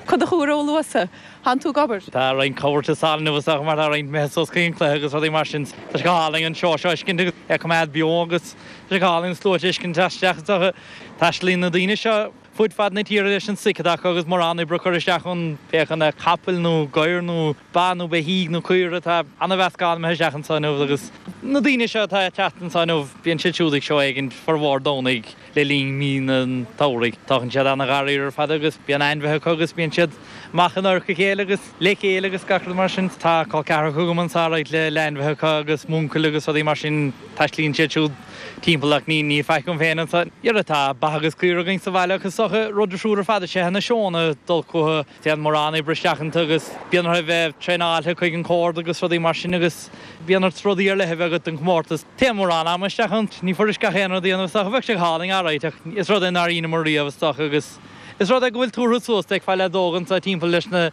Cad a chuaigh ró-luath? Tánn tú ag obair? Tá roinnt cabhair sa inniu is dócha mar tá roinnt imithe suas chuig an cluiche agus rudaí mar sin. Tá sé go hálainn an seó seo a fheiscint agus é a coimeád beo agus tá sé go hálainn an slua a fheiscint isteach is dócha. Taistealaíonn na daoine seo fud fad na tíre leis an stoic atá acu agus mórán oibre curtha isteach ann, pé acu na capaill nó gadhair nó ba nó beithígh nó caoire, tá ana-mheascán imithe isteach anseo inniu agus na daoine seo atá ag teacht anseo inniu bíonn siad siúd ag seó éigin formhór Domhnaigh le linn mí an tsamhraidh. Tagann siad ana-ghar ar fad agus bíonn ainmhithe acu agus bíonn siad amach in adharca a chéile agus le chéile agus gach rud mar sin. Tá col ceathracha agam anseo right le ainmhithe acu agus m'uncail agus rudaí mar sin. Taistealaíonn siad siúd timpeall ach ní ní faic agam féin anseo. Dhera tá ba agus caora againn sa bhaile agus is dócha rud difriúil ar fad is ea na seónna dul chucu. Téann mórán oibre isteach iontu agus bíonn orthu a bheith traenáilte chuig an chomh ard agus rudaí mar sin agus bíonn ort rudaí ar leith a bheith agat don chomórtas. Téann mórán ama isteach ann. Ní fuirist gach aon rud a dhéanamh is dócha. Bheadh sé go hálainn alright ach is rud é nár dheineamar riamh is dócha agus is rud é go bhfuil tabhartha suas. D'fheicfeá leaids óga anseo timpeall leis na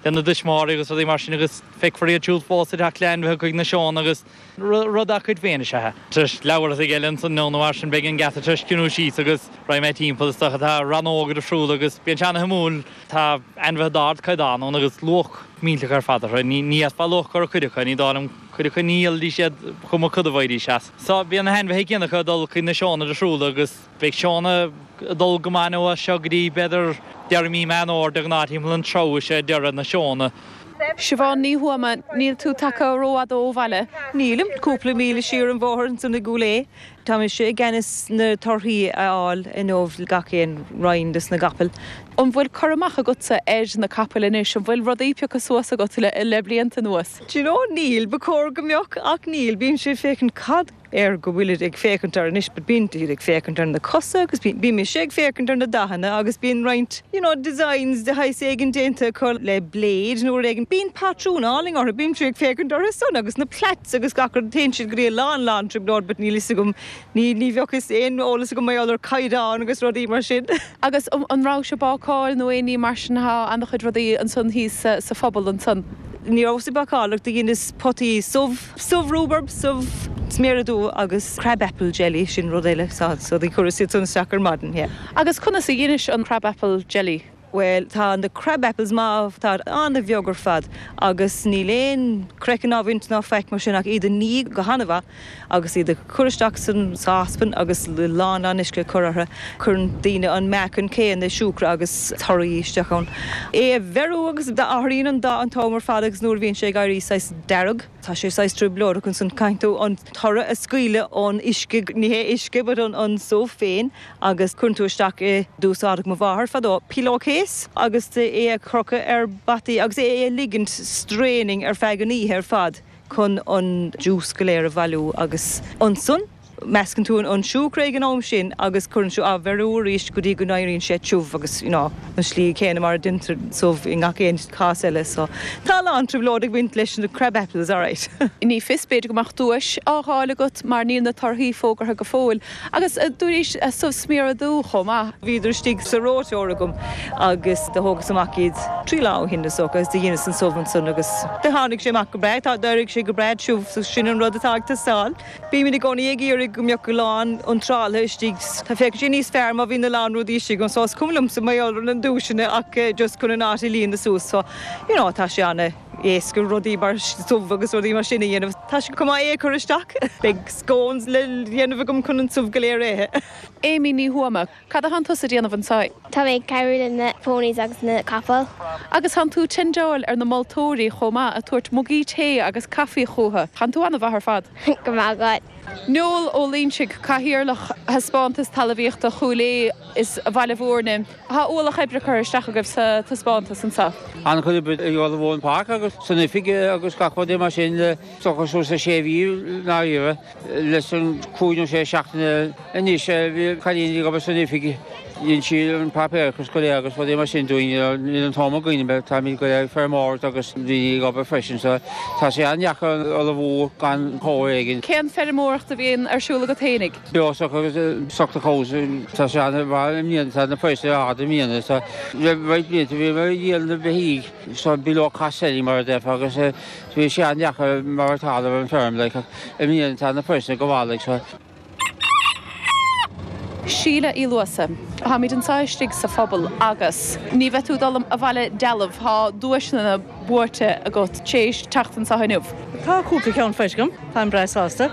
lena dtuismitheoirí agus rudaí mar sin agus feicfear iad siúd fós ag teacht le ainmhithe chuig na seónna agus rud dá gcuid féin is ea é. Tar éis leathuair a chloig eile ansan nó mar sin beidh an geata tar éis ciúnú síos agus raghaidh mé timpeall is dócha. Tá rannóga difriúla agus bíonn sé ana-shuimiúil. Tá ainmhithe d'ardchaighdeán ann agus luach millteach ar fad orthu. Ní fhéadfá luach a chur ar chuid acu, ní dóigh liom cuid acu ní dhíolfaidís iad chuma cad a bhfaighidís as. So bíonn na hainmhithe céanna acu ag dul chuig na seónna difriúla agus beidh seónna ag dul go maith nó as seo go dtí b'fhéidir deireadh mí Meán Fhómhair de ghnáth timpeall an treabhadh is ea deireadh na seónna. Siobhán Ní Thuama, Níl tú tagtha rófhada ó bhaile? Nílim, cúpla míle siar an bhóthar ansan i gCúil Aodha. Tá mise i gceannas na torthaí a fháil inniu gach aon roinn des na gcapaill. An bhfuil cur amach agatsa ar na capaill anois? An bhfuil rudaí pioctha suas agat le blianta anuas? Do you know, níl, ba chóir go mbeadh ach níl. Bímse ag féachaint cad. air go bhfuilid ag féachaint air anois but bíonn siad ag féachaint ar na cosa agus bíonn, bíonn mise ag féachaint ar na dathanna agus bíonn roinnt you know designs de shaghas éigin déanta acu le blade nó rud éigin. Bíonn patrún álainn orthu, bímse ag féachaint orthu san agus na plaits agus gach rud, téann siad go dtí a lán lán trioblóid but níl fhios agam, ní, ní bheadh fhios aon eolas agam mar gheall ar caighdeán agus rudaí mar sin. Agus an rabhais ag bácáil nó aon ní mar sin, tá an-chuid rudaí ansan thíos sa phobal ansan. Ní rabhas ag bácáil ach do dheineas potaí subh, subh rhubarb, subh sméara dubha agus crab apple jelly, sin rud eile, so do chuireas iad san isteach ar maidin, yeah. Agus conas a dheinis an crab apple jelly? Bhuel, tá na crab apples maith, táid an-bheag ar fad agus níl aon craiceann á bhaint ná faic mar sin ach iad a ní go han-mhaith agus iad a chur isteach san sáspan agus lán lán uisce a chur orthu. Cuireann daoine an meáchan céanna siúcra agus torthaí isteach ann. É a bheiriú agus athraíonn an dath an t-am ar fad agus nuair a bhíonn sé ag éirí saghas dearg, tá sé saghas trioblóideach ansan caithfidh tú an toradh a scaoileadh ón uisce, ní hé uisce but an subh féin agus cuireann tú isteach i, d'úsáideadh mo mháthair fadó, pillow case agus é a chrochadh ar bataí agus é a ligint straining ar feadh an oíche ar fad chun an juice go léir a bhailiú agus ansan meascann tú an siúcra ag an am sin agus cuireann tú á bheiriú arís go dtí go n-éiríonn sé tiubh agus you know an slí céanna mar a deintear subh i ngach aon chás eile so tá a lán trioblóid ag baint leis na crab apples alright. Ní fios, b'fhéidir go mbeadh duais á fháil agat mar níl na torthaí fógartha go fóill. Agus dúraís subh sméara dubha chomh maith. Bhíodar istigh sa reoiteoir agam agus do thógas amach iad trí lá ó shin is dócha agus do dheineas an subh ansan agus do tháinig sé amach go breá. Tá, d'éirigh sé go breá tiubh so sin an rud atá ag teastáil. Bímid i gcónaí ag iarraidh go mbeadh a lán iontrálaithe istigh. Tá féachann sé níos fearr má bhíonn a lán rudaí istigh anso. Is cuma liomsa mar gheall ar na duaiseanna ach just chun an áit a líonadh suas so you know tá sé ana éasca rudaí mar subh agus rudaí mar sin a dhéanamh. Tá sé chomh maith é a chur isteach. Beidh scones le déanamh agam chun an subh go léir a ithe. Amy Ní Thuama, Cad atánn tusa a déanamh anseo? Tá mé ag cabhrú le na ponies agus na capaill. Agus tánn tú tendeáil ar na moltóirí chomh maith, ag tabhairt mugaí tae agus caife chucu. Tánn tú an-mhaith ar fad. Go raibh maith agat. Noel Ó Loingsigh, Cathaoirleach Thaispeántas Talmhaíochta Chúil Aodha is Bhaile Mhúirne. Tá ualach oibre curtha isteach agaibh sa taispeántas anseo. An-chuid oibre ag ullmhú an pháirc agus san oifig agus gach rud mar sin le dócha suas le sé mhí i ndáiríre. Leis an cúig nó sé seachtaine anois bhí cailín ag obair san oifig, dhein sí an páipéarachas go léir agus rudaí mar sin dúinn. Níl an t-am againn, táimid go léir ag feirmeoireacht agus daoine ag obair freisin so tá sé an-deacair ullmhú gan chabhair éigin. Cén feirmeoireacht a bhíonn ar siúl agat fhéinig? Beostoc agus stoc the cows, tá sé an-mhaith i mbliana, tá na praghsanna ard i mbliana so le roinnt blianta bhíomar ag díol na beithígh so below cost selling mar a déarfá agus bhí sé an-deacair mar atá ar an bhfeirm like ach i mbliana tá na praghsanna go maith like so. Síle Uí Luasa, Táimid anseo istigh sa phobal agus ní bheidh tú ag dul abhaile dealbh, tá duaiseanna buaite agat téis teacht anseo inniu. Tá cúpla ceann faighte agam, táim breá sásta.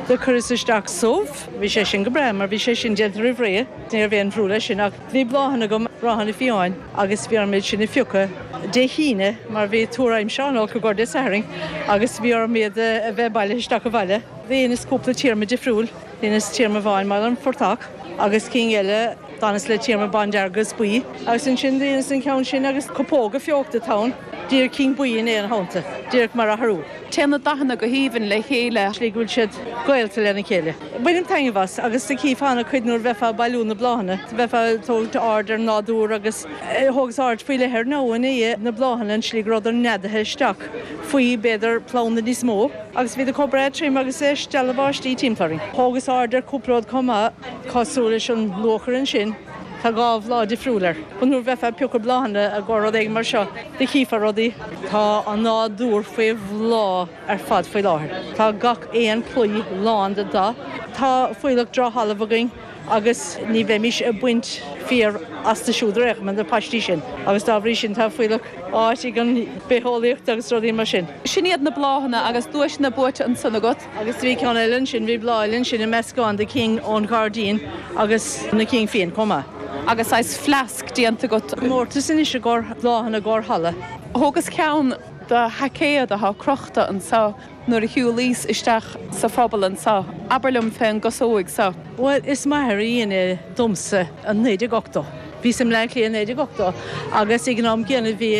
Do chuireas isteach subh, bhí sé sin go breá mar bhí sé sin déanta roimh ré, ní raibh aon bhrú leis sin ach bhí bláthanna agam, bláthanna fiáin agus bhí orm iad sin a phiocadh Dé hAoine mar bhí tuar aimsire an-olc i gcomhair Dé Sathairn agus bhí orm iad a bheith bailithe isteach abhaile. Dheineas cúpla téarma difriúil, dheineas téarma amháin mar an phortach agus cinn eile d'fhanas le téarma bándearg agus buí agus ansin dheineas an ceann sin agus copóga feochta atá ann, díreach cinn buí in aon theannta, díreach mar athrú. Téann na dathanna go haoibhinn le chéile. Slí go bhfuil siad gaolta lena chéile. Bainim taitneamh as agus do chífeá an-chuid nuair a bheifeá ag bailiú na bláthanna, bheifeá ag tógaint aird ar an nádúr agus thógas aird faoi leith ar ndóigh na bláthanna, an slí go rabhadar neadaithe isteach faoi b'fhéidir planda níos mó agus bhíodar chomh breá trim agus é stealladh báistí timpeall orainn. Thógas aird ar cúpla rud chomh maith cosúil leis an luachair ansin, tá dhá bhláth difriúil air. Nuair a bheifeá ag piocadh bláthanna i gcomhair rud éigin mar seo, do chífeá rudaí. Tá an nádúr faoi bhláth ar fad faoi láthair. Tá gach aon chlaí lán de dath. Tá fuílleach dramhthalamh againn agus ní bheimís ag baint féar astu siúd ar aon chuma, na paistí sin, agus dá bhrí sin tá fuílleach áit ag an bitheolaíocht agus rudaí mar sin. Sin iad na bláthanna agus duaiseanna buaite ansan agat. Agus bhí ceann eile ansin, bhí bláth eile ansin i meascán de cinn ón ghairdín agus na cinn fiáin chomh maith. Agus saghas fleasc déanta agat. Comórtas anois i gcomhair bláthanna i gcomhair halla. Thógas ceann de sheaicéad atá crochta anseo nuair a shiúlaíos isteach sa phobal anseo. Abair liom fén gcasóig seo. Bhuel, is m'athair a dhein é domsa i 1980. Bhíos i mBleá Cliath i 1980 agus ag an am gcéanna bhí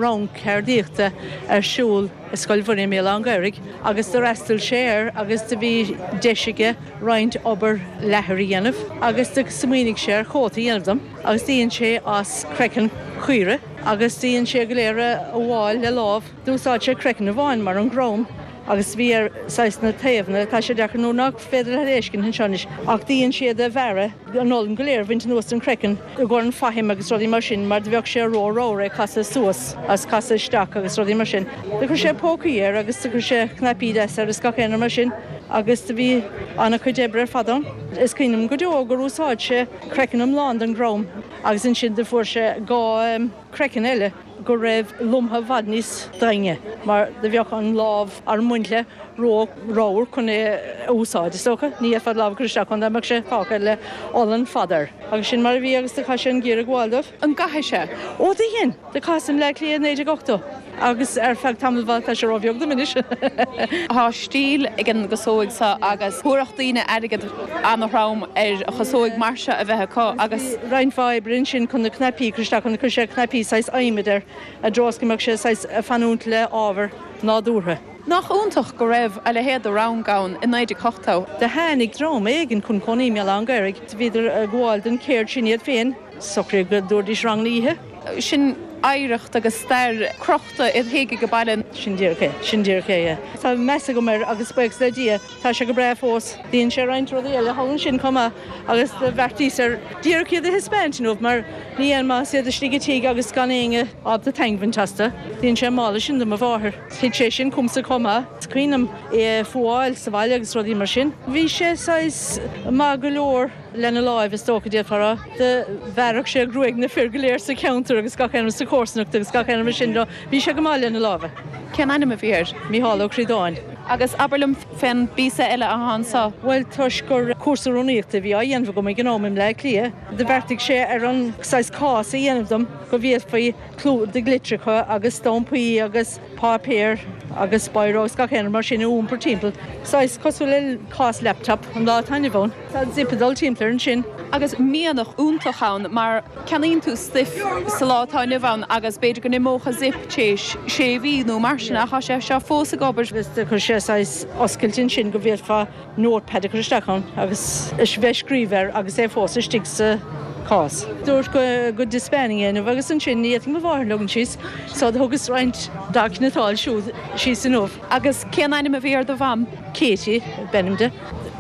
rang ceardaíochta ar siúl i Scoil Mhuire i mBéal Átha an Ghaorthaidh agus d'fhreastail sé air agus do bhí deis aige roinnt obair leathair a dhéanamh agus do smaoinigh sé ar chóta a dhéanamh dom agus do dhein sé as craiceann caoire agus do dhein sé go léir a fhuáil le lámh. D'úsáid sé craiceann amháin mar an gcrann agus bhí air saghas na taobhanna, tá sé deacair nuair nach féidir leat é a fheiscint anseo anois ach do dhein sé iad a bhearradh. an olann go léir a bhaint anuas den chraiceann i gcomhair an fhaithim agus rudaí mar sin mar do bheadh sé ró-ramhar é casadh suas agus casadh isteach agus rudaí mar sin. Do chuir sé pócaí air agus do chuir sé cnaipí deasa air is gach aon rud mar sin agus do bhí ana-chuid oibre ar fad ann. Is cuimhin liom go deo gur úsáid sé craiceann iomlán den gcrann agus ansin do fuair sé 2 craiceann eile go raibh lomtha i bhfad níos daingne mar do bheadh an lámh ar mbaint le ró ramhar chun é a úsáid, is dócha. Ní fhéadfá do lámh a chur isteach ann dá mbeadh sé fágtha le olann fada air. Agus sin mar a bhí agus do chaith sé an geimhreadh ag gabháil dóibh. An gcaithfidh sé? Ó, do dhein! Do chaitheas i mBleá Cliath i 1980 agus ar feadh tamaill mhaith, tá sé ró-bheag dom anois. Tá stíl ag an gcasóig seo agus thabharfadh daoine airgead ana-throm ar chasóig mar seo a bheith acu agus. Bhí roinnt mhaith oibre ansin chun na cnaipí a chur isteach, chun chuir sé cnaipí saghas adhmaid air i dtreo is go mbeadh sé saghas ag fanúint le ábhar nádúrtha. Nach iontach go raibh a leithéid de rang ann i 1980. Do tháinig dream éigin chun cónaí i mBéal Átha an Ghaorthaidh. Bhíodar ag gabháil don chéird sin iad féin. Socraíodh go dtabharfaidís ranganna oíche. Sin oidhreacht agus stair crochta iad féin ag an baile. Sin díreach é. Sin díreach é, yeah. Tá meas agam air agus buíochas le Dia tá sé go breá fós. Dhein sé roinnt rudaí eile thall ansin chomh maith agus do bheartaíos ar díreach iad a thaispeáint inniu mar ní aon maitheas iad istigh i dtigh agus gan éinne ábalta taitneamh a bhaint astu. Dhein sé an mála sin do mo mháthair. Thit sé sin chugamsa chomh maith. Is cuimhin liom é a fuáil sa bhaile agus rudaí mar sin. Bhí sé saghas maith go leor lena láimh is dócha, d'fhéadfá a rá. Do bhearrfadh sé gruaig na fir go léir sa cheantar agus gach aon rud sa chomharsanacht agus gach aon rud mar sin de. Bhí sé go maith lena lámha. Cén ainm a bhí air? Mícheál Ó Críodáin. Agus abair liom fén bpíosa eile athá anso. Bhuel, toisc gur cúrsa rúnaíochta a bhí á dhéanamh agam ag an am i mBleá Cliath, do bheartaigh sé ar an saghas cás a dhéanamh dom go bhféadfaí clúdaigh litreacha agus stampaí agus páipéir agus biro agus gach aon rud mar sin a iompar timpeall. Saghas cosúil le cás laptop an lá atá inniu ann. Tá zip ag dul timpeall air ansin. Agus mianach iontach ann mar ceannaíonn tú stuif sa lá atá inniu ann agus b'fhéidir go n-imeodh a zip téis sé mhí nó mar sin ach tá sé seo fós ag obair. Agus do chuir sé saghas oscailt ansin go bhféadfá notepad a chur isteach ann agus a bheith ag scríobh air agus é fós istigh sa chás. Dúirt go go dtaispeánfainn é inniu agus ansin ní fhéadfainn mo mháthair a leagan síos so do thugas roinnt dá cniotáil siúd síos inniu. Agus cén ainm a bhí ar do mham? Katie ab ainm di.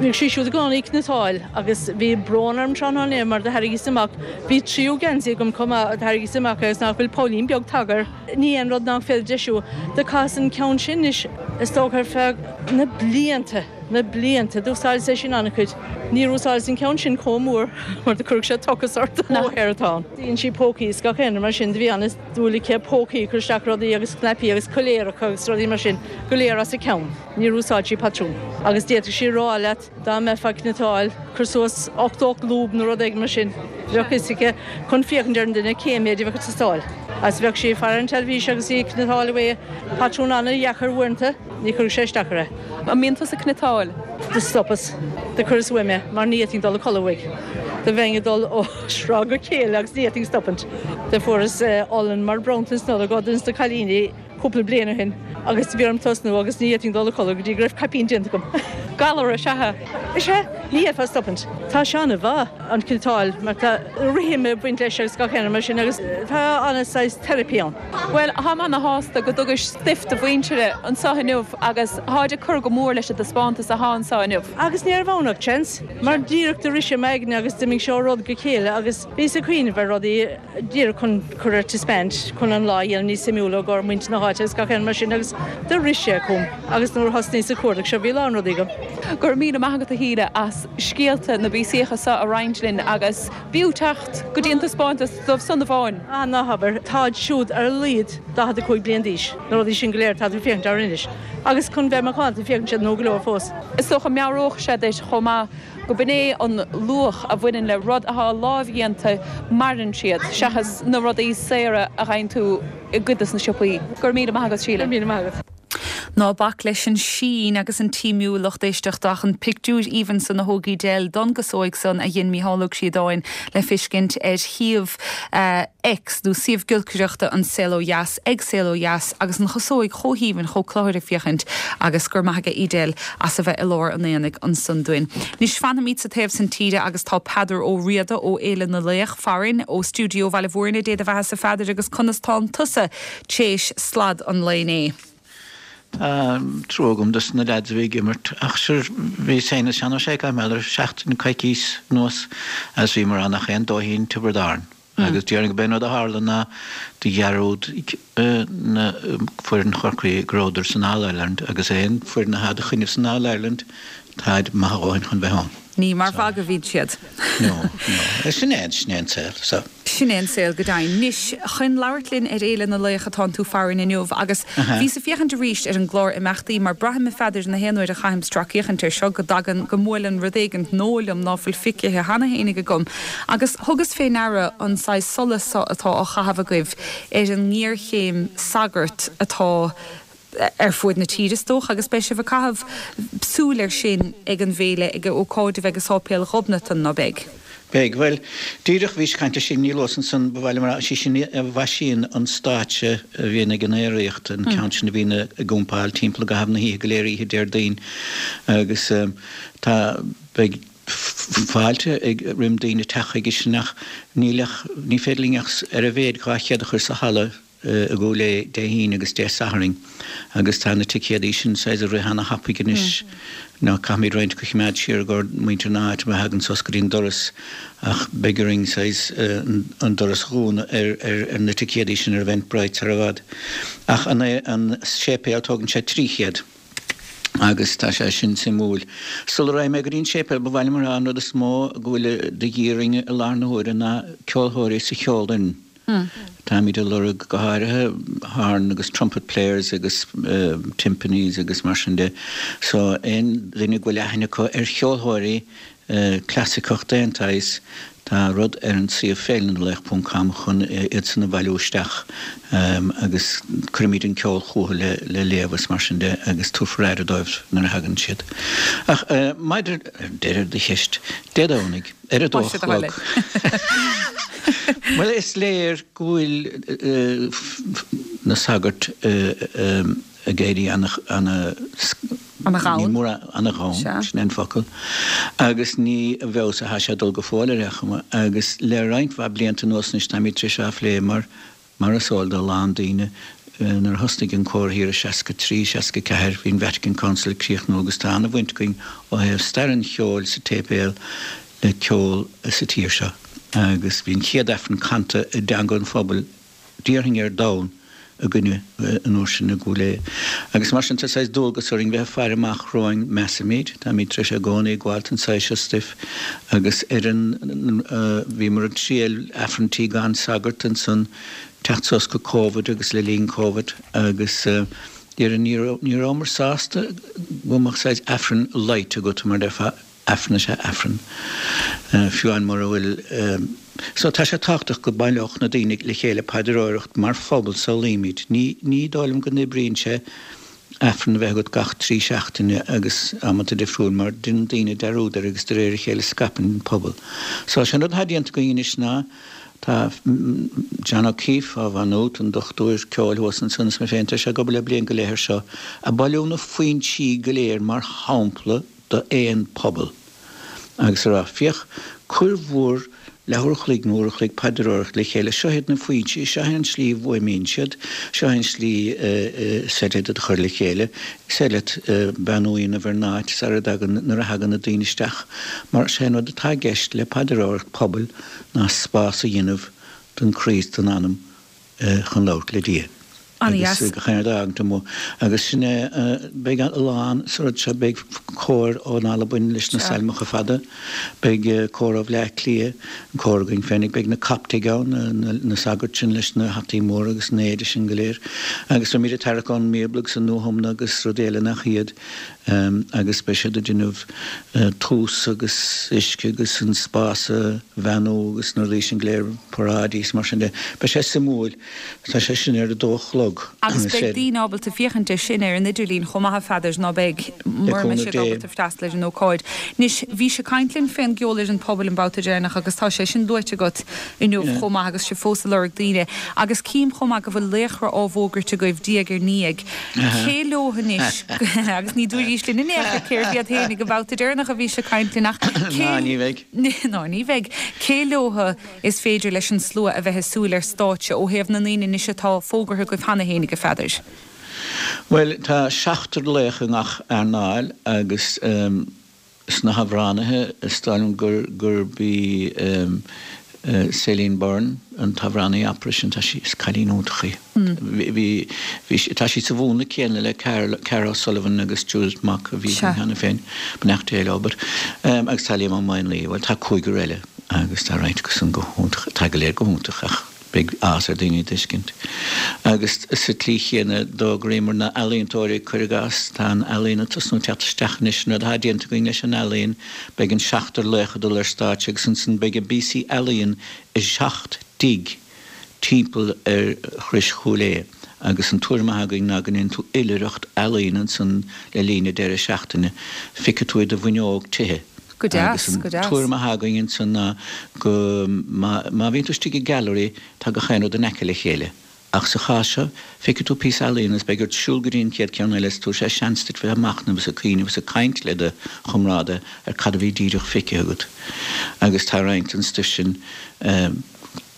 Bhíodh sí siúd i gcónaí ag cniotáil agus bhí brón orm tráthnóna inné mar do tharraingíos amach, bhí tríú geansaí agam chomh maith, do tharraingíos amach é agus nach bhfuil poillín beag tagtha air. Ní aon rud nach féidir deisiú. Do chaitheas an ceann sin anois, is dócha, ar feadh na blianta, na blianta. D'úsáideas é sin an-chuid. Níor úsáideas an ceann sin chomh mór mar do chuirfeadh sé tochas ort. Móihéar atá ann. Dhein sí pócaí is gach aon rud mar sin. Do bhí an-dúil aici pócaí a chur isteach rudaí agus cnaipí agus coiléaracha agus rudaí mar sin go léir as a ceann. Níor úsáid sí patrún. Agus d'fhéadfadh sí a rá leat dá mbeifeá ag cniotáil, cuir suas 80 lúb nó rud éigin mar sin, bheadh fhios aici chun féachaint ar an duine cé méid a bheadh ag teastáil. Agus bheadh sí ag faire an teilifís agus í ag cniotáil away, patrún an-dheacair uaireanta, ní chuirfeadh sé isteach uirthi. An mbíonn tusa ag cniotáil? Do stopas. Do chuireas uaim é mar ní fhéadfainn dul a codladh uaidh. Do bheinn ag dul ó thráth go chéile agus ní fhéadfainn stopaint. Do fuaireas olann mar bronntanas Nollag ó duine de na cailíní. cúpla bliain ó shin agus bhí orm tosnú agus ní fhéadfainn dul a chodladh go dtí go raibh caipín déanta agam. Galar is ea é. Is ea, ní fhéadfá stopaint. Tá sé an-mhaith, an cniotáil, mar tá rithim ag baint leis agus gach aon rud mar sin agus tá an-saghas therapy ann. Bhuel, táim ana-shásta go dtugais stuif do mhuintir anseo inniu agus táid ag cur go mór leis an dtaispeántas athá anseo inniu. Agus ní raibh ann ach seans, mar díreach do rith sé m'aigne agus d'imigh sé ó rud go chéile agus bhíos ag cuimhneamh ar rudaí. díreach chun cur ar taispeáint, chun an lá a dhéanamh níos suimiúla i gcomhair muintir na háite agus gach aon rud mar sin agus do rith sé chugam agus nuair a thosnaíos ag cuardach seo bhí a lán rudaí agam. Go raibh míle maith agat a Shíle as scéalta na bpíosaíocha seo a roinnt linn agus b'fhiú teacht go dtí an taispeántas dóibh san amháin. Ah ná habair, táid siúd ar a laghad 45 bliain d'aois, na rudaí sin go léir atá tú ag féachaint orthu anois agus chun bheith macánta féachann siad nua go leor fós. Is dócha meabhróidh sé duit chomh maith go b'in é an luach a bhaineann le rud atá lámhdhéanta, maireann siad, seachas na rudaí saora a fhaigheann tú i gcuid de na siopaí. Go raibh míle maith agat, Síle. Go raibh míle maith agat. Ná bac leis an sín agus an tsuimiú, lucht éisteachta, ach an pictiúr aoibhinn san a thóg Edel don gcasóig san a dhein Mícheál Ó Críodáin le feiscint ar shuíomh X, nó suíomh giolcaireachta An Saol Ó Dheas, ag Saol Ó Dheas, agus an chasóig chomh haoibhinn, chomh cluthar ag féachaint agus go raibh maith aige Edel as a bheith i lár an aonaigh ansan dúinn. Anois fanfaimid sa taobh san tíre agus tá Peadar Ó Riada ó Fhéile na Laoch farainn ó stiúideo Bhaile Mhúirne, Dé do bheathasa a Pheadair agus conas tánn tusa t'éis slad an lae inné. Tá trua agam dos na leaids a bhí ag imirt ach sure bhíos féin is Seán Ó Sé caithfidh mé le seachtain coicís anuas agus bhíomar ann ach aon dóithín Tiobraid Árann agus déarfainn go b'é an rud a tharla ná do dhearúd na foireann Chorcaí go rabhadar san All Ireland agus aon foireann atá do choinnibh san All Ireland táid maith a dhóthain chun bheith ann. Ní mar mhagadh a bhíonn siad. No, no. Sin é, sin é an saol, so. Sin é an saol go deimhin. Anois, chun labhairt linn ar Fhéile na Laoch atánn tú farainn inniu agus bhíos ag féachaint arís ar an gclár imeachtaí mar braithim a Pheadair na haon uair a chaithim stracfhéachaint air seo go dtagann, go mbuaileann rud éigint nua liom ná fuil feicthe cheana fhéinig agam agus thugas fé ndeara an saghas solas so atá á chaitheamh agaibh ar an ngéarchéim sagart atá ar fuaid na tíre is dócha, agus beidh sibh ag caitheamh súil air sin ag an bhféile, ag ócáid a bheidh i Sáipéal Ghobnatan, ná beidh? Beidh. Bhuel, díreach bhís ag caint le Síle Ní Luasa ansan, ba mhaith liom a rá, is í sin a mhaisíonn an stáitse a bhíonn ag an aeraíocht, an ceann sin a bhíonn ag iompáil timpeall i gcaitheamh na hoíche go léir, oíche Déardaoin, agus tá, beidh fáilte ag roim daoine teacht chuige sin ach níl ach, ní féidir linn ach ar a mhéad 200 a chur sa halla, i gCúil Aodha Dé hAoine agus Dé Sathairn agus tá na ticéadaí sin saghas ag rith ana-thapaidh anois. Now caithfimid roinnt acu a choimeád siar i gcomhair muintir na háite má thagann suas go dtí an doras ach beidh orainn saghas an doras a dhúnadh ar ar na ticéadaí sin ar Eventbrite sar i bhfad. Ach an an séipéal tógann sé 300 agus tá sé sin suimiúil. Sula raghaidh mé go dtí an séipéal ba mhaith liom a rá an rud is mó go bhfuil de dhíth orainn i láthair na huaire ná ceolthóirí sa cheolfhoireann. Táimid ag lorg go háirithe horn agus trumpet players agus timpanis agus mar sin de. So aon duine go bhfuil aithne acu ar cheolthóirí clasaiceach d'aon tsaghas, tá rud ar an suíomh féilenalaoch ponc com chun iad san a bhailiú isteach agus cuirfimid an ceol chucu le le léamh is mar sin de agus tabharfar aire dóibh nuair a thagann siad. Ach maidir deireadh do cheist, Dé Domhnaigh. Ar a dó a chlog. Bhuel, is léir go bhfuil na sagairt ag éirí ana, Ana-ghann. Ana-ghann, sin é an focal. Agus ní i bhfeabhas atá sé ag dul go fóill ar aon chuma. Agus le roinnt mhaith blianta anuas anois táimid tar éis á phlé mar Mar is eol do a lán daoine, nuair a thosnaigh an cór thiar i 63, 64, bhí an Vatican Council ag críochnú agus tá an-bhaint againn ó thaobh stair an cheoil sa tséipéal le ceol sa tír seo. Agus bhí an chéad Aifreann canta i dteanga an phobail, déarfainn ar domhan, againne an uair sin i gCúil Aodha. Agus mar sin tá saghas dualgas orainn bheith ag faire amach romhainn, measaimid. Táimid tar éis i gcónaí ag gabháil don saghas seo stuif agus ar an, bhíomar ag triail Aifrinntí gan sagart ansan, teacht suas go Covid agus le linn Covid agus déarfainn ní raibh, ní rabhamar sásta go mbeadh saghas Aifreann light agat mar déarfá. Aifreann is ea Aifreann, fiú amháin mura bhfuil. So tá sé tábhachtach go mbaileodh na daoine le chéile paidreoireacht mar phobal, samhlaímid. Ní, ní dóigh liom go n-oibríonn sé Aifreann a bheith agat gach 3 seachtaine agus amanta difriúil mar déanann daoine dearúd air agus de réir a chéile scaipeann an pobal. So sé an rud atá déanta againn anois ná tá John O'Keeffe ó Mhaigh Nuad, an dochtúir ceoil thuas ansan is mé féin, tá sé ag obair le bliain go leith air seo, ag bailiú na foinsí go léir mar shampla d'aon phobal agus a rá, Féach, cuir bhur leathuair a chloig nó uair a chloig paidreoireacht le chéile, seo iad na foinsí, seo é an tslí a bhfuaimíonn siad, seo é an tslí is féidir iad a chur le chéile, is féidir leat beannú a dhéanamh ar an áit sara dtagann, nuair a thagann na daoine isteach, mar sé an rud atá i gceist le paidreoireacht pobail ná spás a dhéanamh don chroí is don anam chun labhairt le Dia. Agus gach aon rud a fhágaint amuigh. Agus sin é, beidh a lán sa rud seo, beidh cór ón Albain leis na sailmeacha fada, beidh cór ó Bhleá Cliath, an cór againn féinig, beidh na Coptaigh ann, na sagairt sin leis na hataí móra agus an éide sin go léir. Agus beimid ag tarrac ón mBíobla agus an Nuathiomna agus rudaí eile nach iad. Agus beidh siad ag déanamh tús agus uisce agus an spás a bheannú agus na rudaí sin go léir, paráidí is mar sin de. Beidh sé suimiúil. Tá sé sin ar a dó a chlog. chlog. Agus beidh daoine ábalta féachaint air sin ar an idirlíon chomh maith, a Pheadair, ná beidh, mura mbeidh siad ábalta freastal ar an ócáid. Anois, bhís ag caint linn fén gceolfhoireann pobail an babhta deireanach agus tá sé sin luaite agat inniu chomh maith agus sibh fós ag lorg daoine. Agus cím chomh maith go bhfuil laochra á bhfógairt agaibh diaidh ar ndiaidh. Cé leo anois, agus ní dúraís linn in aon chor cérbh iad féinig an babhta deireanach a bhís ag caint linn ach cé. Ná ní bheidh. Ná ní bheidh. Cé leo is féidir leis an slua a bheith ag súil ar stáitse ó thaobh na ndaoine anois atá fógartha agaibh cheana fhéinig, a Pheadair? Bhuel, tá seachtar laoch i ngach earnáil agus sna hamhránaithe is dóigh liom gurb í Céline Byrne an t-amhránaí opera sin, tá sí, is cailín iontach í. Bhí, bhí, tá sí sa mhúnla céanna le Cara O'Sullivan agus Judith Mok a bhí againn cheana féin, beannacht Dé leo, but, agus tá Liam Ó Maonlaí, bhuel tá cúigear eile agus tá roinnt acu san go hiontach, tá go léir go hiontach ach beidh áthas ar daoine iad a fheiscint. Agus sa tslí chéanna d'fhógraíomar na h-ealaíontóirí, cuir i gcás, tá an ealaíon ag tosnú teacht isteach anois, an rud atá déanta againn leis an ealaíon, beidh an seachtar laoch ag dul ar stáitse agus ansan beidh a bpíosaí ealaíon i seacht dtigh timpeall ar Chrois Chúil Aodha agus an tuairim atá againn ná go ndéanann tú oilithreacht ealaíon ansan le linn an deireadh seachtaine. Feicfidh tú i do bhfuinneog tithe. Go deas, Agus an go deas. tuairim atá againn ansan ná go má má bhíonn tú istigh i gallery tá gach aon rud in aice le chéile. Ach sa chás seo, feicfidh tú píosa ealaíon agus beidh ort siúl go dtí an chéad ceann eile is tabharfaidh sé seans duit bheith ag machnamh is ag cuimhneamh is ag caint le do chomrádaithe ar cad a bhí díreach feicthe agat. Agus tá roinnt den stuif sin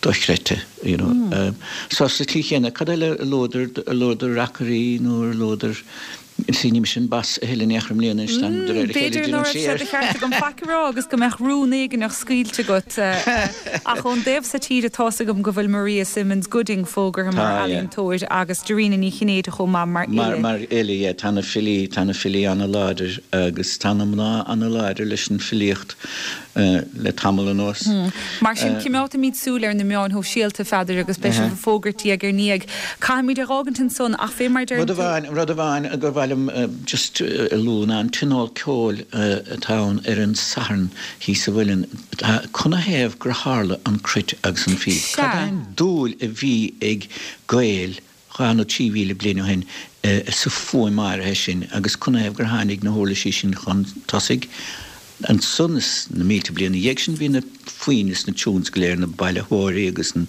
dochreidte, you know. So sa tslí chéanna, cad eile a luadar, a luadar reacairí nó ar luadar, see ní mise an boss a thuilleadh in aon chor i mbliana anois, táim de réir a chéile B'fhéidir ag ná déanamh raibh sé siar. de cheart agam faic a rá agus go mbeadh rún éigineach scaoilte agat. Ach ón dtaobh so tíre tá's agam go bhfuil Maria Simmons Gooding fógartha mar Tá, yeah. ealaíontóir agus Dairena Ní Chinnéide chomh maith mar Mar, fhile. mar fhile, yeah. Tá na filí, tá na filí ana-láidir agus tá na mná ana-láidir leis an filíocht. le tamall anuas. Mar sin, coimeádfaimid súil ar na meáin shóisialta, a Pheadair, agus beidh sibh ag fógairt diaidh ar ndiaidh. Caithfimid é dh'fhágaint ansan, ach fé mar a deireann Rud tú. amháin, rud amháin gur mhaith liom just a lua ná an Tionól Ceoil atá ann ar an Satharn thíos sa Mhuileann. Canathaobh gur tharla an cruit agus an phíb? Cad é Sea. an dúil a bhí ag Gaeil 2000 nó 3000 bliain ó shin sa fuaim áirithe sin agus canathaobh gur tháinig na huirlisí sin chun tosaigh. Ansan is na mílte bliain ina dhiaidh sin bhí na foinn is na tunes go léir, na bailitheoirí agus an,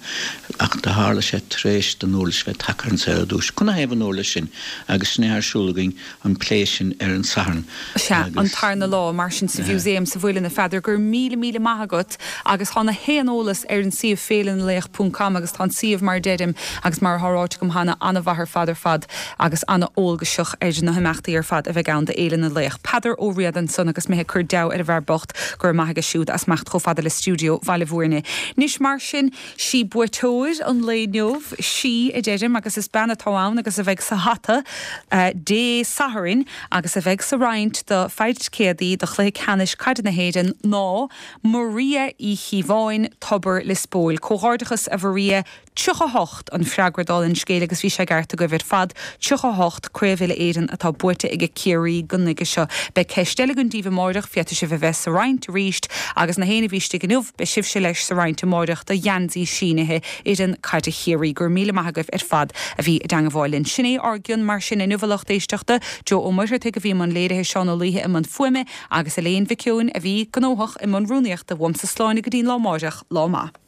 ach do tharla sé tar éis don uirlis bheith tagtha ar an saol ar dtúis. Canathaobh an uirlis sin agus sin é ar siúl againn an plé sin ar an Satharn Sea, an agus. tarna lá, mar sin, sa Mhúsaem sa Mhuileann, a Pheadair. Go raibh míle míle maith agat agus tá na haon eolas ar an suíomh féilenalaoch ponc com agus tá an suíomh mar a deirim agus mar atá ráite agam cheana an-mhaith ar fad ar fad agus an-eolgaiseach ar na himeachtaí ar fad a bheidh ann do Fhéile na Laoch. Peadar Ó Riada ansan agus mé ag cur deabhadh ar an bhfear bocht go raibh maith aige siúd as imeacht chomh fada le stiúideo Bhaile Bhúirne. Anois mar sin, sí buaiteoir an lae inniu, sí a deirim agus is bean atá ann agus a bheidh sa hata Dé Sathairn agus a bheidh sa roinnt do feadh ticéadaí do chluiche ceannais caide na hÉireann ná Maria Uí Chíobháin, Tobar Lios Póil. Comhghairdeachas a Mharia, 38 an freagra dála an scéil agus bhí sé i gceart agaibh ar fad, 38 Craobh Uile-Éireann atá buaite ag Ciarraí go nuige seo. Beidh ceist eile againn daoibh amáireach, féadfaidh sibh a bheith sa roinnt arís agus na héinne a bhí istigh inniu, beidh sibhse leis sa roinnt amáireach do gheansaí sínithe fhoireann caide Chiarraí. Go raibh míle maith agaibh ar fad a bhí i dteangabháil linn. Sin é ár gcion mar sin inniu a lucht éisteachta, Joe Ó Muircheartaigh a bhí i mbun léirithe, Seán Ó Laoithe i mbun fuaime agus Elaine Mhic Eoin a bhí gnóthach i mbun rúnaíochta. Uaimse slán go dtí'n lá amáireach. Lá maith.